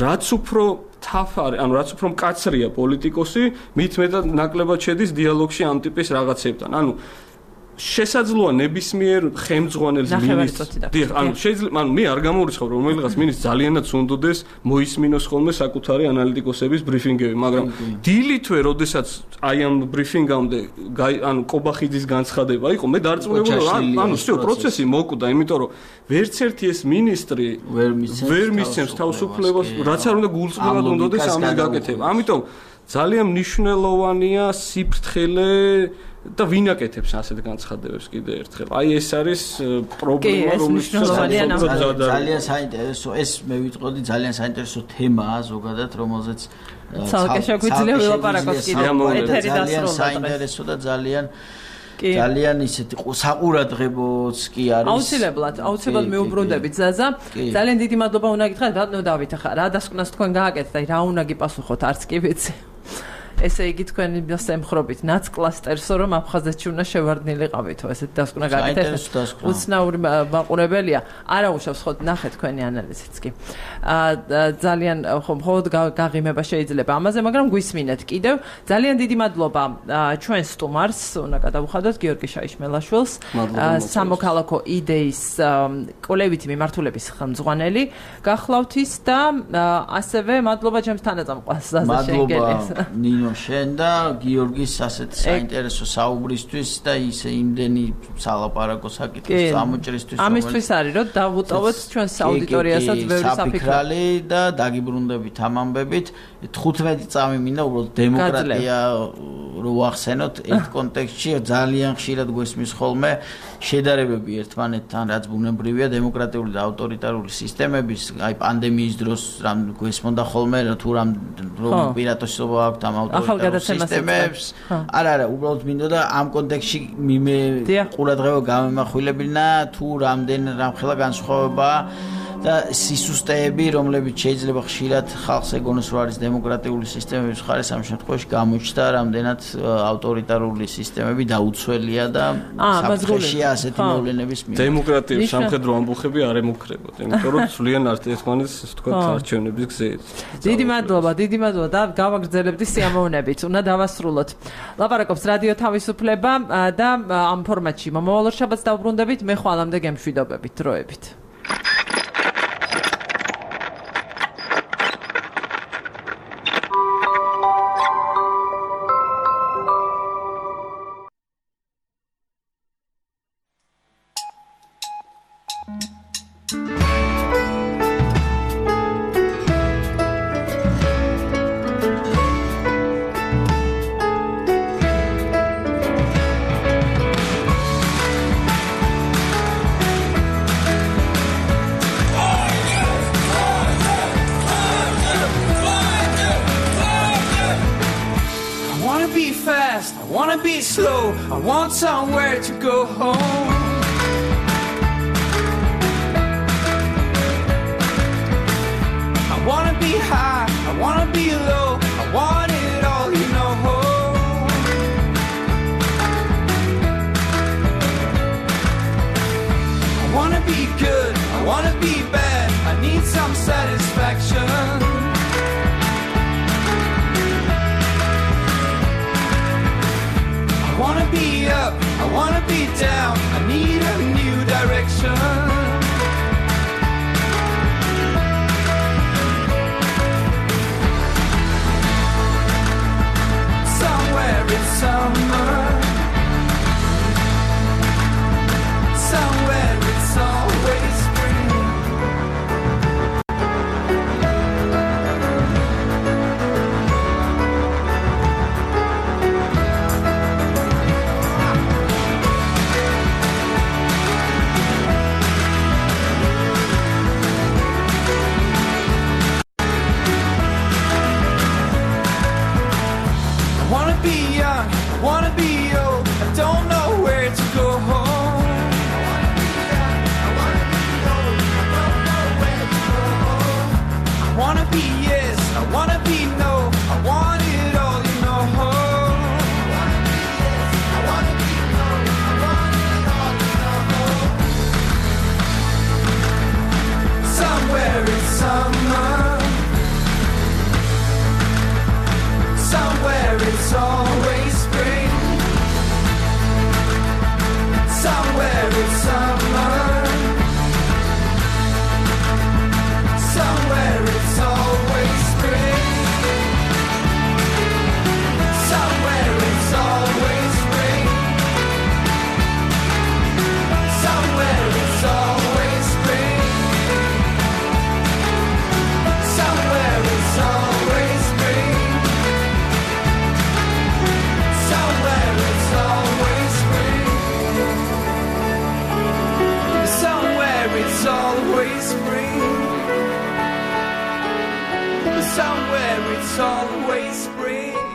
C: რაც უფრო თაფარი, ანუ რაც უფრო მკაცრია პოლიტიკოსი, მით მეტად ნაკლებად შედის დიალოგში ამ ტიპის რაღაცებთან. ანუ შესაძლოა ნებისმიერ ხელმძღვანელს მინისტრს დიახ ანუ შეიძლება ანუ მე არ გამორიცხავ რომ რომელიღაც მინისტრს ძალიანაც უნდოდეს მოისმინოს ხოლმე საკუთარი ანალიტიკოსების ბრიფინგები მაგრამ დილითვე როდესაც აი ამ ბრიფინგამდე ანუ კობახიძის განცხადება იყო მე დარწმუნებული ანუ всё პროცესი მოკვდა იმიტომ რომ ვერც ერთი ეს მინისტრი ვერ მისცემს თავისუფლებას რაც არ უნდა გულწრფელად უნდოდეს ამის გაკეთება ამიტომ ძალიან მნიშვნელოვანია სიფრთხილე და ვინ აკეთებს ასეთ განცხადებებს კიდე ერთხელ. აი ეს არის პრობლემა
A: რომელსაც
B: ძალიან საინტერესო ეს მე ვიტყოდი ძალიან საინტერესო თემაა ზოგადად რომელზეც
A: ცალკე შეგვიძლია ვილაპარაკოთ კიდე ეთერი დასრულდა.
B: ძალიან საინტერესო და ძალიან ძალიან ისეთი საყურადღებოც კი არის.
A: აუცილებლად, აუცილებლად მეუბრუნდებით ზაზა. ძალიან დიდი მადლობა უნდა გითხრათ ბატონო დავით ახლა რა დასკვნას თქვენ გააკეთეთ და რა უნდა გიპასუხოთ არც კი ვიცი. ესე იგი თქვენი დასემხრობით ნაცკლასტერსო რომ აფხაზეთში უნდა შევარდნილიყავითო ესეთ დასკვნა გააკეთეთ უცნაური მაყურებელია არა უშავს ხო ნახეთ თქვენი ანალიზიც კი ძალიან ხო მხოლოდ გაღიმება შეიძლება ამაზე მაგრამ გვისმინეთ კიდევ ძალიან დიდი მადლობა ჩვენ სტუმარს უნდა გადავუხადოთ გიორგი შაიშმელაშვილს სამოქალაქო იდეის კოლევითი მიმართულების ხელმძღვანელი გახლავთ ის და ასევე მადლობა ჩემს თანაწამყვას ზაზა შენგელის
B: ნინო შენ და გიორგის ასეთ საინტერესო საუბრისთვის და ისე იმდენი სალაპარაკო საკითხის წამოჭრისთვის
A: ამისთვის არის რომ დავუტოვოთ ჩვენს აუდიტორიასაც ბევრი
B: საფიქრალი და დაგიბრუნდებით ამ ამბებით თხუთმეტი წამი მინდა უბრალოდ დემოკრატია რო ვახსენოთ ერთ კონტექსტში ძალიან ხშირად გვესმის ხოლმე შედარებები ერთმანეთთან რაც ბუნებრივია დემოკრატიული და ავტორიტარული სისტემების აი პანდემიის დროს რამ გვესმოდა ხოლმე თუ რამ პირატოსობა აქვს ამ ავტორიტარულ სისტემებს არა არა უბრალოდ მინდოდა ამ კონტექსტში მე ყურადღება გამემახვილებინა თუ რამდენ რამხელა განსხვავებაა და სისუსტეები რომლებიც შეიძლება ხშირად ხალხს ეგონოს რომ არის დემოკრატიული სისტემების მხარეს ამ შემთხვევაში გამოჩნდა რამდენად ავტორიტარული სისტემები დაუცველია და საფრთხეშია ასეთი მოვლენების მიერ
C: დემოკრატიის სამხედრო ამბოხები არ ემუქრებოდ იმიტომ რომ სულიან ერთმანეთს თქვა არჩევნების გზით
A: დიდი მადლობა დიდი მადლობა და გავაგრძელებდი სიამოვნებით უნდა დავასრულოთ ლაპარაკობს რადიო თავისუფლება და ამ ფორმატში მომავალ შაბათს დავბრუნდებით მე ხვალამდე გემშვიდობებით დროებით
G: I want somewhere to go home. I wanna be high, I wanna be low, I want it all, you know. I wanna be good, I wanna be bad, I need some satisfaction. I wanna be up, I wanna be down, I need a new direction. Somewhere it's summer, somewhere it's always spring. way you spread.